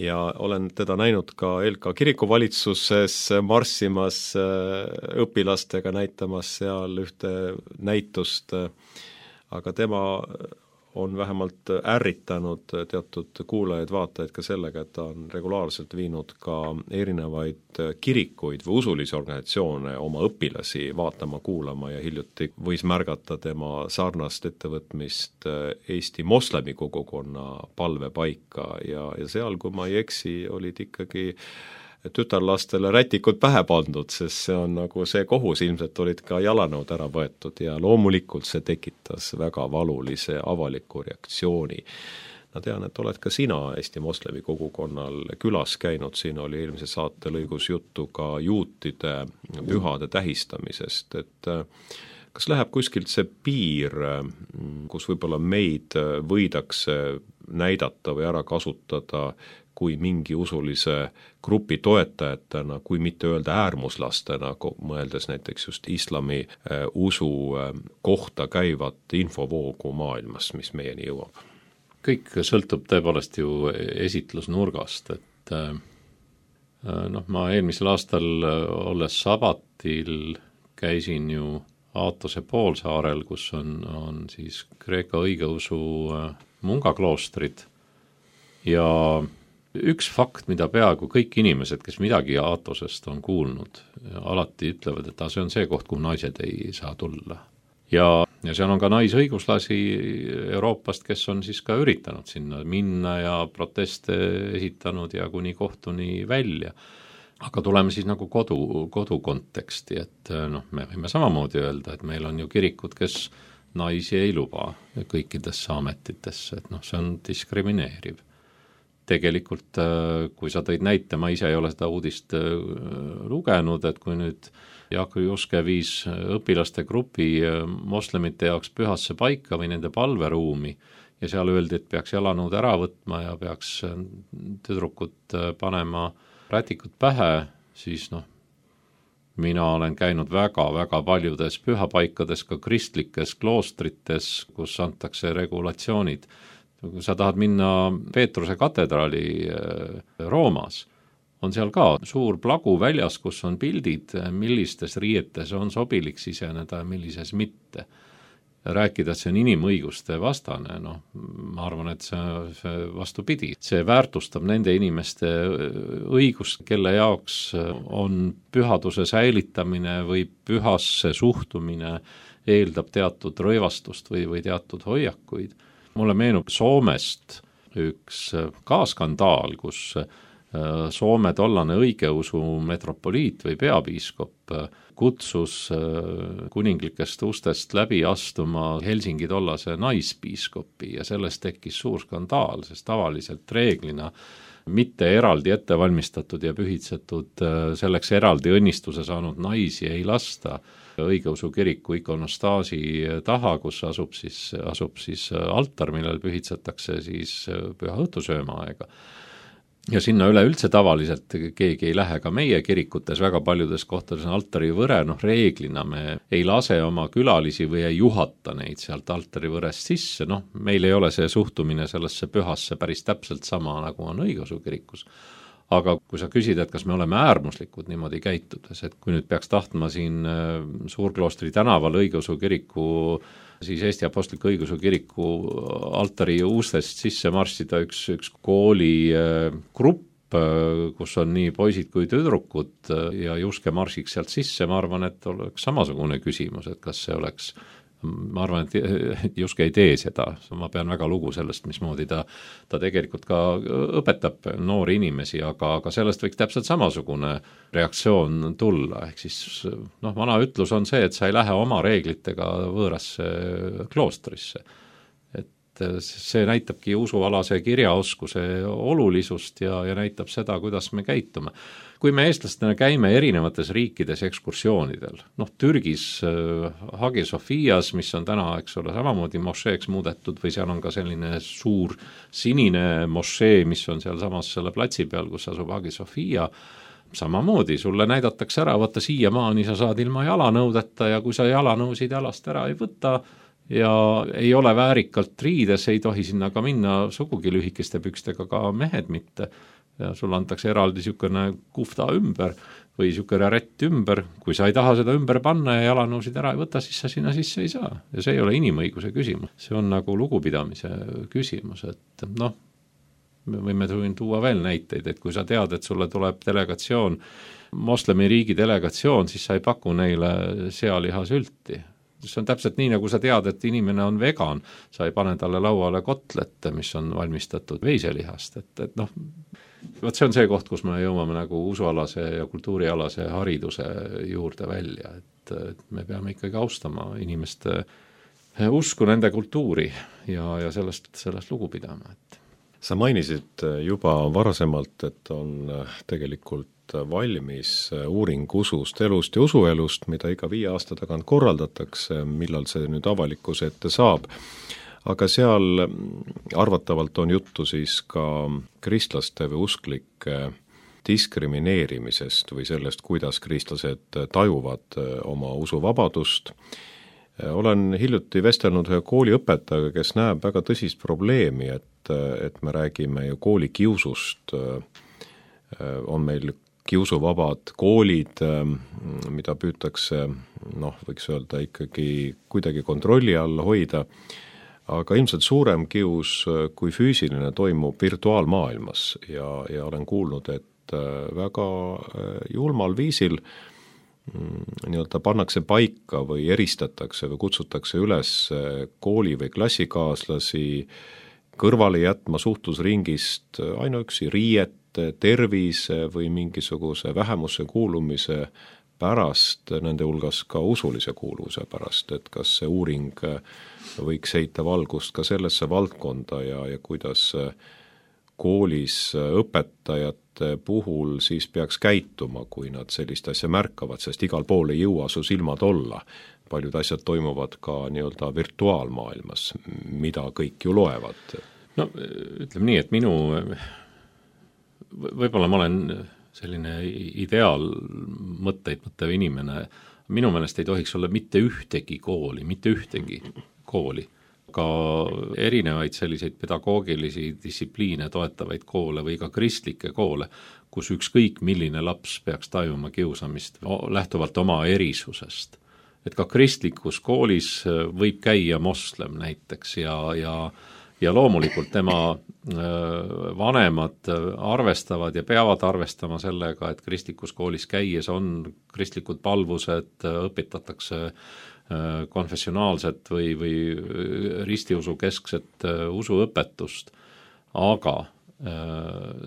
Ja olen teda näinud ka L K kirikuvalitsuses marssimas õpilastega, näitamas seal ühte näitust, aga tema on vähemalt ärritanud teatud kuulajaid, vaatajaid ka sellega, et ta on regulaarselt viinud ka erinevaid kirikuid või usulisi organisatsioone oma õpilasi vaatama, kuulama ja hiljuti võis märgata tema sarnast ettevõtmist Eesti moslemi kogukonna palvepaika ja, ja seal, kui ma ei eksi, olid ikkagi tütarlastele rätikud pähe pandud, sest see on nagu see kohus, ilmselt olid ka jalanõud ära võetud ja loomulikult see tekitas väga valulise avaliku reaktsiooni. Ma tean, et oled ka sina Eesti moslemi kogukonnal külas käinud, siin oli eelmise saate lõigus juttu ka juutide pühade tähistamisest, et kas läheb kuskilt see piir, kus võib-olla meid võidakse näidata või ära kasutada kui mingi usulise grupi toetajatena, kui mitte öelda äärmuslastena, mõeldes näiteks just islami usu kohta käivat infovoogu maailmas, mis meieni jõuab? kõik sõltub tõepoolest ju esitlusnurgast, et noh, ma eelmisel aastal olles sabatil käisin ju Aatose poolsaarel, kus on, on siis Kreeka õigeusu mungakloostrid ja üks fakt, mida peaaegu kõik inimesed, kes midagi Aatosest on kuulnud, alati ütlevad, et see on see koht, kuhu naised ei saa tulla. Ja, ja seal on ka naisõiguslasi Euroopast, kes on siis ka üritanud sinna minna ja proteste esitanud ja kuni kohtuni välja. Aga tuleme siis nagu kodu, kodu konteksti, et noh, me võime samamoodi öelda, et meil on ju kirikud, kes naisi ei luba kõikidesse ametitesse, et noh, see on diskrimineeriv. Tegelikult, kui sa tõid näite, ma ise ei ole seda uudist lugenud, et kui nüüd Jaak Juske viis õpilaste grupi moslemite jaoks pühasse paika või nende palveruumi ja seal öeldi, et peaks jalanõud ära võtma ja peaks tüdrukut panema rätikud pähe, siis noh, mina olen käinud väga-väga paljudes pühapaikades, ka kristlikes kloostrites, kus antakse regulatsioonid. Kui sa tahad minna Peetruse katedraali Roomas, on seal ka suur plagu väljas, kus on pildid, millistes riietes on sobilik siseneda ja millises mitte. Rääkida, et see on inimõiguste vastane, noh, ma arvan, et see, see vastupidi. See väärtustab nende inimeste õigust, kelle jaoks on pühaduse säilitamine või pühasse suhtumine eeldab teatud rõivastust või, või teatud hoiakuid. Mulle meenub Soomest üks ka skandaal, kus Soome tollane õigeusu metropoliit või peapiiskop kutsus kuninglikest ustest läbi astuma Helsingi tollase naispiiskopi ja sellest tekkis suur skandaal, sest tavaliselt reeglina mitte eraldi ettevalmistatud ja pühitsetud selleks eraldi õnnistuse saanud naisi ei lasta õigeusu kiriku ikonostaasi taha, kus asub siis, asub siis altar, millel pühitsetakse siis püha õhtusööma aega. Ja sinna üleüldse tavaliselt keegi ei lähe, ka meie kirikutes väga paljudes kohtades on altari võre, noh reeglina me ei lase oma külalisi või ei juhata neid sealt altari võrest sisse, noh meil ei ole see suhtumine sellesse pühasse päris täpselt sama, nagu on õigeusu kirikus. Aga kui sa küsid, et kas me oleme äärmuslikud niimoodi käitudes, et kui nüüd peaks tahtma siin Suurkloostri tänaval õigeusu kiriku siis Eesti Apostliku Õigeusu kiriku altari ustest sisse marssida üks, üks kooli grupp, kus on nii poisid kui tüdrukud ja Juske marsiks sealt sisse, ma arvan, et oleks samasugune küsimus, et kas see oleks, ma arvan, et Juske ei tee seda, ma pean väga lugu sellest, mismoodi ta, ta tegelikult ka õpetab noori inimesi, aga, aga sellest võiks täpselt samasugune reaktsioon tulla, ehk siis noh, vana ütlus on see, et sa ei lähe oma reeglitega võõrasse kloostrisse. Et see näitabki usualase kirjaoskuse olulisust ja, ja näitab seda, kuidas me käitume. Kui me eestlastena käime erinevates riikides ekskursioonidel, noh Türgis Hagia Sofias, mis on täna, eks ole, samamoodi mošeeks muudetud või seal on ka selline suur sinine mošee, mis on seal samas selle platsi peal, kus asub Hagia Sofia, samamoodi sulle näidatakse ära, võtta siiamaani sa saad ilma jalanõudeta ja kui sa jalanõusid jalast ära ei võta ja ei ole väärikalt riides, ei tohi sinna ka minna sugugi lühikeste pükstega, ka mehed mitte. Ja sul antakse eraldi niisugune kufta ümber või niisugune rätt ümber, kui sa ei taha seda ümber panna ja jalanõusid ära ei võta, siis sa sinna sisse ei saa. Ja see ei ole inimõiguse küsimus, see on nagu lugupidamise küsimus, et noh, me võime tuua veel näiteid, et kui sa tead, et sulle tuleb delegatsioon, moslemi riigi delegatsioon, siis sa ei paku neile sealihasülti. See on täpselt nii, nagu sa tead, et inimene on vegan, sa ei pane talle lauale kotlet, mis on valmistatud veiselihast, et, et noh, võt see on see koht, kus me jõuame nagu usualase ja kultuurialase hariduse juurde välja, et, et me peame ikkagi austama inimeste usku, nende kultuuri ja, ja sellest, sellest lugu pidama. Et. Sa mainisid juba varasemalt, et on tegelikult valmis uuring usust, elust ja usuelust, mida iga viie aasta tagant korraldatakse, millal see nüüd avalikkuse ette saab. Aga seal arvatavalt on juttu siis ka kristlaste või usklike diskrimineerimisest või sellest, kuidas kristlased tajuvad oma usuvabadust. Olen hiljuti vestelnud ühe kooliõpetajaga, kes näeb väga tõsist probleemi, et et, et me räägime ju koolikiusust, on meil kiusuvabad koolid, mida püütakse, noh, võiks öelda ikkagi kuidagi kontrolli alla hoida, aga ilmselt suurem kius kui füüsiline toimub virtuaalmaailmas ja, ja olen kuulnud, et väga julmal viisil nii-öelda pannakse paika või eristatakse või kutsutakse üles kooli või klassikaaslasi kõrvale jätma suhtlusringist ainuüksi riiet, tervise või mingisuguse vähemusse kuulumise pärast, nende hulgas ka usulise kuuluvuse pärast, et kas see uuring võiks heita valgust ka sellesse valdkonda ja, ja kuidas koolis õpetajate puhul siis peaks käituma, kui nad sellist asja märkavad, sest igal pool ei jõua su silmad olla. Paljud asjad toimuvad ka nii-öelda virtuaalmaailmas, mida kõik ju loevad. No ütleme nii, et minu, võib-olla ma olen selline ideaal mõtteid mõttev inimene, minu meelest ei tohiks olla mitte ühtegi kooli, mitte ühtegi kooli, ka erinevaid selliseid pedagoogilisi distsipliine toetavaid koole või ka kristlikke koole, kus ükskõik milline laps peaks tajuma kiusamist lähtuvalt oma erisusest. Et ka kristlikus koolis võib käia moslem näiteks ja, ja, ja loomulikult tema vanemad arvestavad ja peavad arvestama sellega, et kristlikus koolis käies on kristlikud palvused, õpetatakse konfessionaalset või, või ristiusu keskset usuõpetust, aga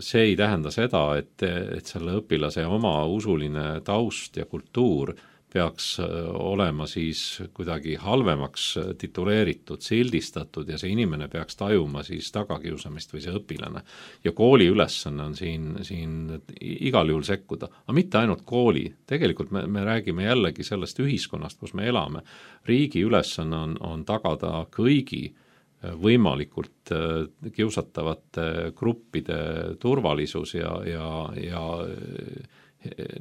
see ei tähenda seda, et, et selle õpilase oma usuline taust ja kultuur peaks olema siis kuidagi halvemaks tituleeritud, sildistatud ja see inimene peaks tajuma siis tagakiusamist või see õpilane. Ja kooli ülesanne on siin, siin igal juhul sekkuda, aga mitte ainult kooli. Tegelikult me, me räägime jällegi sellest ühiskonnast, kus me elame. Riigi ülesanne on, on tagada kõigi võimalikult kiusatavate gruppide turvalisus ja, ja, ja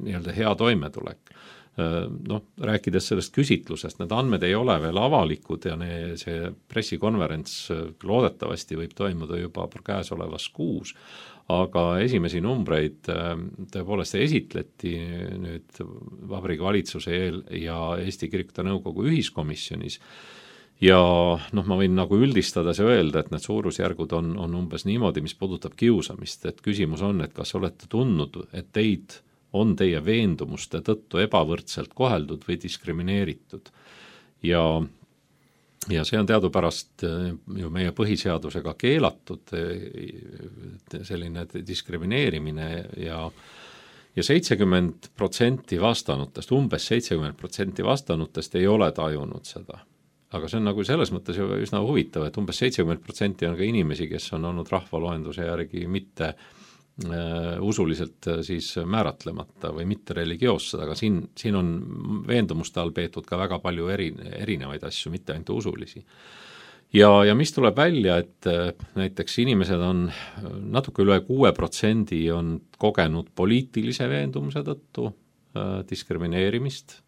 nii-öelda hea toimetulek. Noh, rääkides sellest küsitlusest, need andmed ei ole veel avalikud ja ne, see pressikonverents loodetavasti võib toimuda juba käesolevas kuus, aga esimesi numbreid tõepoolest esitleti nüüd Vabariigi Valitsuse eel ja Eesti Kirikute Nõukogu ühiskomisjonis ja noh, ma võin nagu üldistades öelda, et need suurusjärgud on, on umbes niimoodi, mis puudutab kiusamist, et küsimus on, et kas olete tundnud, et teid on teie veendumuste tõttu ebavõrdselt koheldud või diskrimineeritud. Ja, ja see on teadupärast ju meie põhiseadusega keelatud selline diskrimineerimine ja ja seitsekümmend protsenti vastanutest, umbes seitsekümmend protsenti vastanutest ei ole tajunud seda. Aga see on nagu selles mõttes ju üsna huvitav, et umbes seitsekümmend protsenti on ka inimesi, kes on olnud rahvaloenduse järgi mitte usuliselt siis määratlemata või mitte religioossed, aga siin, siin on veendumuste all peetud ka väga palju eri, erinevaid asju, mitte ainult usulisi. Ja, ja mis tuleb välja, et näiteks inimesed on natuke üle kuue protsendi on kogenud poliitilise veendumuse tõttu diskrimineerimist.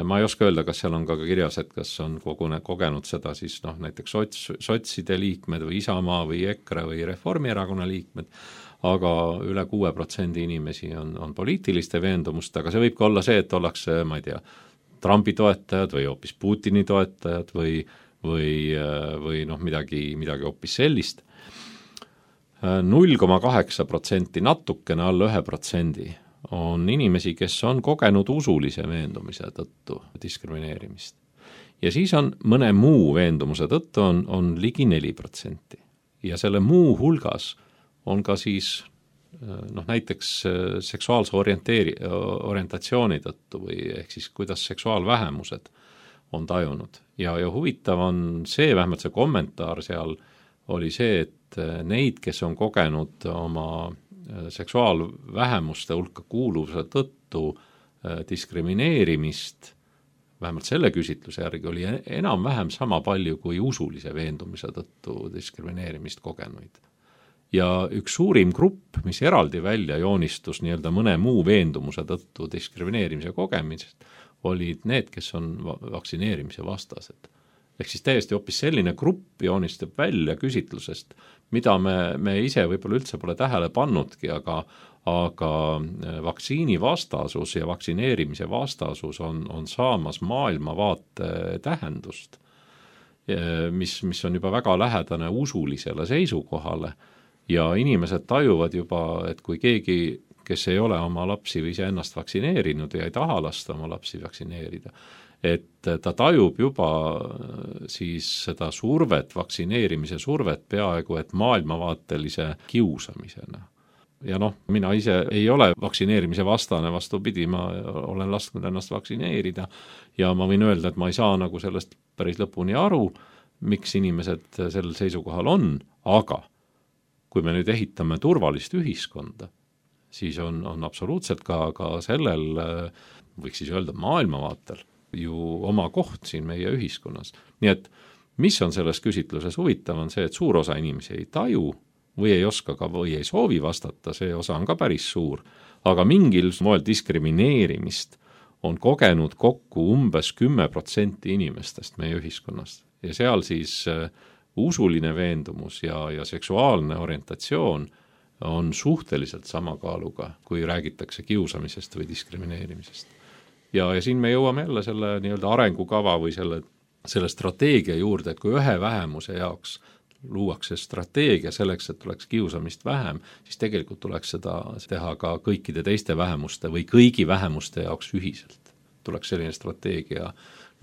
Ma ei oska öelda, kas seal on ka kirjas, et kas on kogune, kogenud seda siis noh, näiteks sots, sotside liikmed või Isamaa või EKRE või Reformierakonna liikmed, aga üle kuue protsendi inimesi on, on poliitiliste veendumust, aga see võib ka olla see, et ollakse, ma ei tea, Trumpi toetajad või hoopis Putini toetajad või, või, või noh, midagi, midagi hoopis sellist. null koma kaheksa protsenti, natukene alla ühe protsendi on inimesi, kes on kogenud usulise veendumise tõttu diskrimineerimist. Ja siis on mõne muu veendumuse tõttu on, on ligi neli protsenti. Ja selle muu hulgas on ka siis noh, näiteks seksuaalse orienteeri, orientatsiooni tõttu või ehk siis kuidas seksuaalvähemused on tajunud. Ja, ja huvitav on see, vähemalt see kommentaar seal oli see, et neid, kes on kogenud oma seksuaalvähemuste hulka kuuluvuse tõttu diskrimineerimist, vähemalt selle küsitluse järgi oli enam-vähem sama palju kui usulise veendumise tõttu diskrimineerimist kogenuid. Ja üks suurim grupp, mis eraldi välja joonistus nii-öelda mõne muu veendumuse tõttu diskrimineerimise kogemisest, olid need, kes on vaktsineerimise vastased. ehk siis täiesti hoopis selline grupp joonistab välja küsitlusest, mida me, me ise võib-olla üldse pole tähele pannudki, aga aga vaktsiini vastasus ja vaktsineerimise vastasus on, on saamas maailmavaate tähendust, mis, mis on juba väga lähedane usulisele seisukohale ja inimesed tajuvad juba, et kui keegi, kes ei ole oma lapsi või iseennast vaktsineerinud ja ei taha lasta oma lapsi vaktsineerida, et ta tajub juba siis seda survet, vaktsineerimise survet peaaegu et maailmavaatelise kiusamisena. Ja noh, mina ise ei ole vaktsineerimise vastane, vastupidi, ma olen lasknud ennast vaktsineerida ja ma võin öelda, et ma ei saa nagu sellest päris lõpuni aru, miks inimesed sellel seisukohal on, aga kui me nüüd ehitame turvalist ühiskonda, siis on, on absoluutselt ka, ka sellel, võiks siis öelda maailmavaatel, ju oma koht siin meie ühiskonnas. Nii et mis on selles küsitluses huvitav, on see, et suur osa inimesi ei taju, või ei oska ka või ei soovi vastata, see osa on ka päris suur, aga mingil moel diskrimineerimist on kogenud kokku umbes kümme protsenti inimestest meie ühiskonnast ja seal siis usuline veendumus ja, ja seksuaalne orientatsioon on suhteliselt sama kaaluga, kui räägitakse kiusamisest või diskrimineerimisest. Ja, ja siin me jõuame jälle selle nii-öelda arengukava või selle, selle strateegia juurde, et kui ühe vähemuse jaoks luuakse strateegia selleks, et tuleks kiusamist vähem, siis tegelikult tuleks seda teha ka kõikide teiste vähemuste või kõigi vähemuste jaoks ühiselt. Tuleks selline strateegia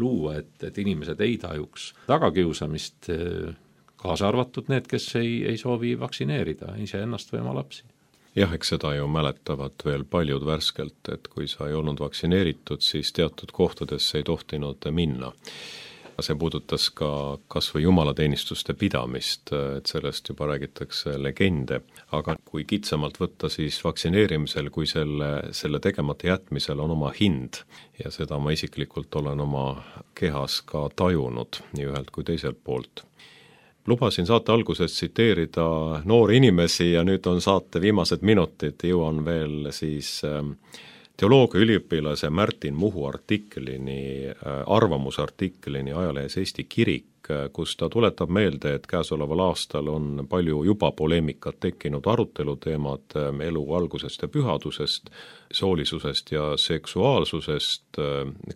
luua, et, et inimesed ei tajuks tagakiusamist, kaasa arvatud need, kes ei, ei soovi vaktsineerida ise ennast või oma lapsi. Jah, eks seda ju mäletavad veel paljud värskelt, et kui sa ei olnud vaktsineeritud, siis teatud kohtadesse ei tohtinud minna. See puudutas ka kas või jumalateenistuste pidamist, et sellest juba räägitakse legende, aga kui kitsamalt võtta, siis vaktsineerimisel, kui selle, selle tegemata jätmisel on oma hind ja seda ma isiklikult olen oma kehas ka tajunud nii ühelt kui teiselt poolt. Lubasin saate alguses tsiteerida noori inimesi ja nüüd on saate viimased minutid, jõuan veel siis teoloogia üliõpilase Märtin Muhu artiklini, arvamusartiklini ajalehes Eesti Kirik, kus ta tuletab meelde, et käesoleval aastal on palju juba poleemikat tekkinud aruteluteemad elu algusest ja pühadusest, soolisusest ja seksuaalsusest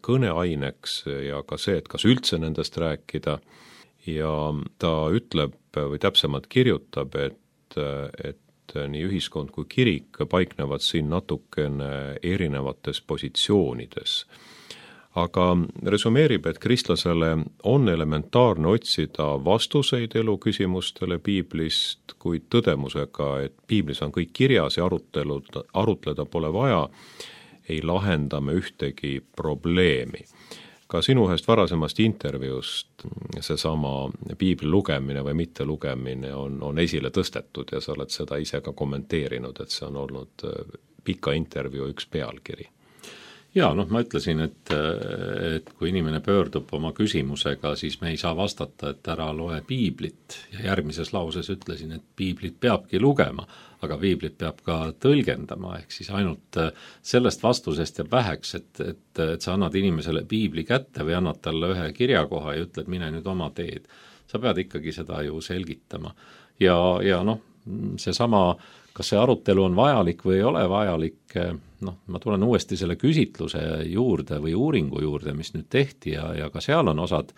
kõneaineks ja ka see, et kas üldse nendest rääkida. Ja ta ütleb või täpsemalt kirjutab, et, et nii ühiskond kui kirik paiknevad siin natukene erinevates positsioonides. Aga resumeerib, et kristlasele on elementaarne otsida vastuseid elu küsimustele piiblist, kuid tõdemusega, et piiblis on kõik kirjas ja arutelud, arutleda pole vaja, ei lahenda me ühtegi probleemi. Ka sinu ühest varasemast intervjuust seesama piibli lugemine või mitte lugemine on, on esile tõstetud ja sa oled seda ise ka kommenteerinud, et see on olnud pika intervjuu üks pealkiri. Jaa, noh, ma ütlesin, et, et kui inimene pöördub oma küsimusega, siis me ei saa vastata, et ära loe piiblit ja järgmises lauses ütlesin, et piiblit peabki lugema, aga piiblit peab ka tõlgendama, ehk siis ainult sellest vastusest jääb väheks, et, et, et sa annad inimesele piibli kätte või annad talle ühe kirjakoha ja ütled, mine nüüd oma teed. Sa pead ikkagi seda ju selgitama. Ja, ja noh, seesama, kas see arutelu on vajalik või ei ole vajalik, noh, ma tulen uuesti selle küsitluse juurde või uuringu juurde, mis nüüd tehti ja, ja ka seal on osad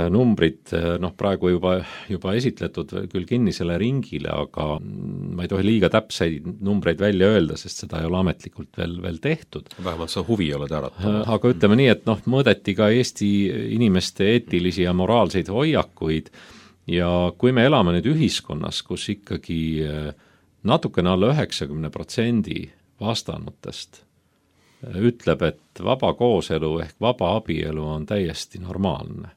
numbrid, noh, praegu juba, juba esitletud küll kinnisele ringile, aga ma ei tohi liiga täpseid numbreid välja öelda, sest seda ei ole ametlikult veel, veel tehtud. Vähemalt sa huvi oled äratanud. Aga ütleme nii, et noh, mõõdeti ka Eesti inimeste eetilisi ja moraalseid hoiakuid ja kui me elame nüüd ühiskonnas, kus ikkagi natukene alla üheksakümne protsendi vastanutest ütleb, et vaba kooselu ehk vaba abielu on täiesti normaalne,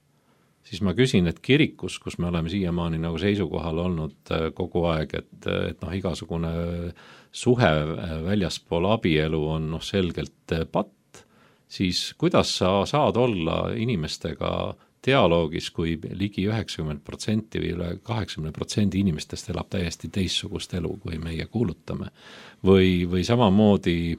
siis ma küsin, et kirikus, kus me oleme siiamaani nagu seisukohal olnud kogu aeg, et, et noh, igasugune suhe väljaspool abielu on noh, selgelt patt, siis kuidas sa saad olla inimestega dialoogis, kui ligi üheksakümmend protsenti või üle kaheksakümmend protsenti inimestest elab täiesti teistsugust elu, kui meie kuulutame. Või, või samamoodi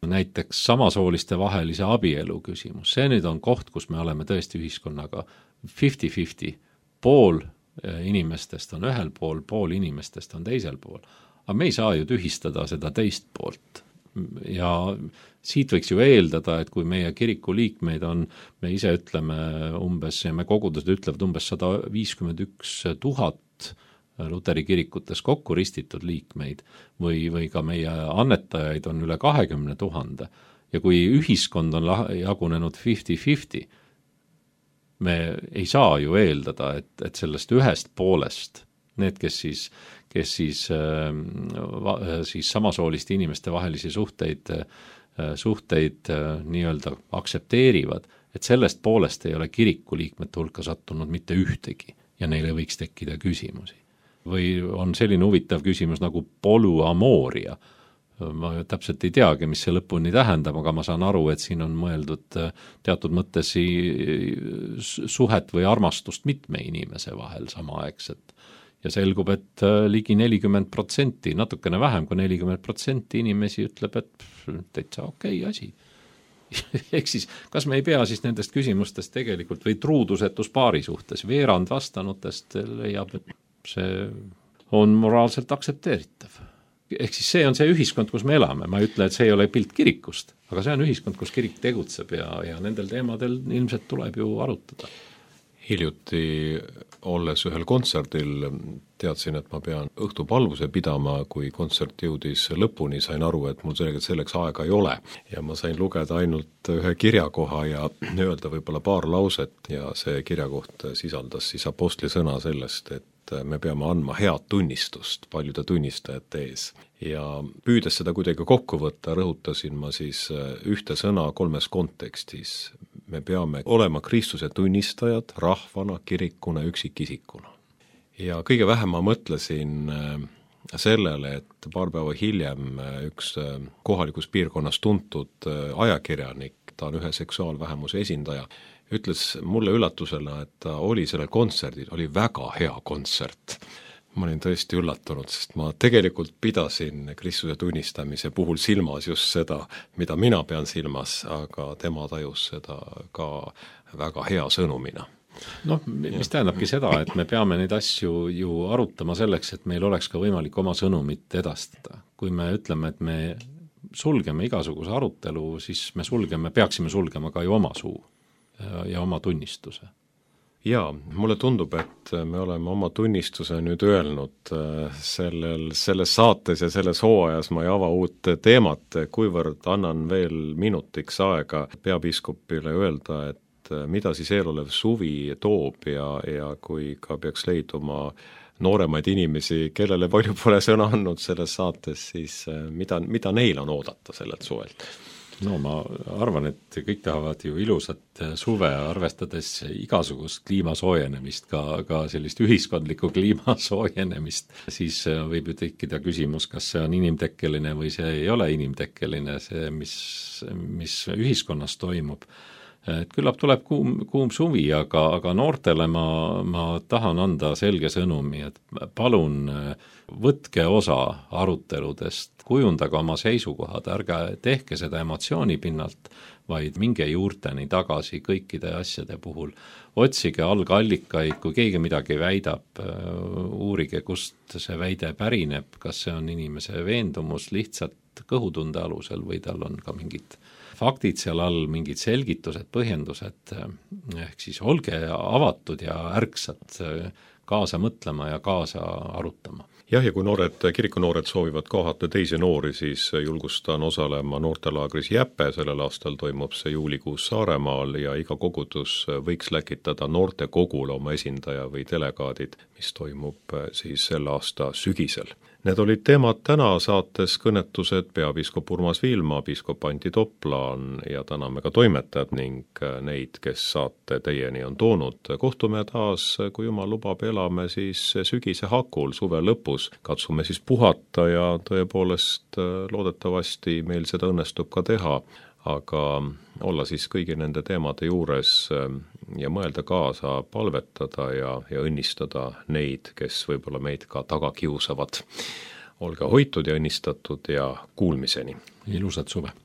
näiteks samasooliste vahelise abielu küsimus, see nüüd on koht, kus me oleme tõesti ühiskonnaga fifty fifty, pool inimestest on ühel pool, pool inimestest on teisel pool. Aga me ei saa ju tühistada seda teist poolt. Ja siit võiks ju eeldada, et kui meie kiriku liikmeid on, me ise ütleme umbes, ja me kogudused ütlevad umbes sada viiskümmend üks tuhat Luteri kirikutes kokku ristitud liikmeid või, või ka meie annetajaid on üle kahekümne tuhande. Ja kui ühiskond on jagunenud fifty fifty, me ei saa ju eeldada, et, et sellest ühest poolest, need, kes siis, kes siis, äh, siis samasooliste inimeste vahelisi suhteid, äh, suhteid äh, nii-öelda aksepteerivad, et sellest poolest ei ole kiriku liikmete hulka sattunud mitte ühtegi ja neile võiks tekkida küsimusi. Või on selline huvitav küsimus nagu polüamooria. Ma täpselt ei teagi, mis see lõpuni tähendab, aga ma saan aru, et siin on mõeldud teatud mõttes suhet või armastust mitme inimese vahel samaaegselt. Ja selgub, et ligi nelikümmend protsenti, natukene vähem kui nelikümmend protsenti inimesi ütleb, et täitsa okei asi. Ehk siis, kas me ei pea siis nendest küsimustest tegelikult või truudusetus paari suhtes, veerand vastanutest leiab, et see on moraalselt aktsepteeritav. Ehk siis see on see ühiskond, kus me elame. Ma ei ütle, et see ei ole pilt kirikust, aga see on ühiskond, kus kirik tegutseb ja, ja nendel teemadel ilmselt tuleb ju arutada. Hiljuti olles ühel kontserdil teadsin, et ma pean õhtupalvuse pidama, kui kontsert jõudis lõpuni, sain aru, et mul selleks, selleks aega ei ole. Ja ma sain lugeda ainult ühe kirjakoha ja öelda võib-olla paar lauset ja see kirjakoht sisaldas siis apostli sõna sellest, et me peame andma head tunnistust paljude tunnistajate ees. Ja püüdes seda kuidagi kokku võtta, rõhutasin ma siis ühte sõna kolmes kontekstis. Me peame olema Kristuse tunnistajad rahvana, kirikuna, üksikisikuna. Ja kõige vähem ma mõtlesin sellele, et paar päeva hiljem üks kohalikus piirkonnas tuntud ajakirjanik, ta on ühe seksuaalvähemuse esindaja, ütles mulle üllatusena, et ta oli sellel kontserdil, oli väga hea kontsert. Ma olin tõesti üllatunud, sest ma tegelikult pidasin Kristuse tunnistamise puhul silmas just seda, mida mina pean silmas, aga tema tajus seda ka väga hea sõnumina. Noh, mis tähendabki seda, et me peame neid asju ju arutama selleks, et meil oleks ka võimalik oma sõnumit edastada. Kui me ütleme, et me sulgeme igasuguse arutelu, siis me sulgeme, peaksime sulgema ka ju oma suu ja oma tunnistuse. Jaa, mulle tundub, et me oleme oma tunnistuse nüüd öelnud sellel, selles saates ja selles hooajas ma ei ava uut teemat, kuivõrd annan veel minutiks aega peapiiskopile öelda, et mida siis eelolev suvi toob ja, ja kui ka peaks leiduma nooremaid inimesi, kellele palju pole sõna andnud selles saates, siis mida, mida neil on oodata sellelt suvelt? No ma arvan, et kõik tahavad ju ilusat suve, arvestades igasugust kliimasoojenemist, ka, ka sellist ühiskondlikku kliimasoojenemist, siis võib ju tekkida küsimus, kas see on inimtekkeline või see ei ole inimtekkeline, see, mis, mis ühiskonnas toimub. Et küllap tuleb kuum, kuum suvi, aga, aga noortele ma, ma tahan anda selge sõnumi, et palun võtke osa aruteludest, kujundage oma seisukohad, ärge tehke seda emotsiooni pinnalt, vaid minge juurteni tagasi kõikide asjade puhul. Otsige algallikaid, kui keegi midagi väidab, uurige, kust see väide pärineb, kas see on inimese veendumus lihtsalt kõhutunde alusel või tal on ka mingid faktid seal all, mingid selgitused, põhjendused, ehk siis olge avatud ja ärksad kaasa mõtlema ja kaasa arutama. Jah, ja kui noored, kirikunoored soovivad kohata teisi noori, siis julgustan osalema noortelaagris Jäpe, sellel aastal toimub see juulikuus Saaremaal ja iga kogudus võiks läkitada noorte kogule oma esindaja või delegaadid, mis toimub siis sel aasta sügisel. Need olid teemad täna saates kõnetused peapiiskop Urmas Viilma, piiskop Anti Toplaan ja täname ka toimetajad ning neid, kes saate teieni on toonud. Kohtume taas, kui jumal lubab, elame siis sügise hakul, suve lõpus. Katsume siis puhata ja tõepoolest loodetavasti meil seda õnnestub ka teha, aga olla siis kõigi nende teemade juures ja mõelda kaasa, palvetada ja, ja õnnistada neid, kes võib-olla meid ka taga kiusavad. Olge hoitud ja õnnistatud ja kuulmiseni. Ilusat suve!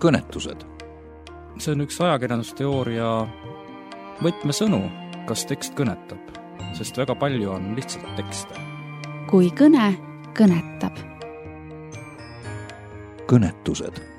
kõnetused. See on üks ajakirjandusteooria võtmesõnu, kas tekst kõnetab, sest väga palju on lihtsalt tekste. Kui kõne kõnetab. Kõnetused.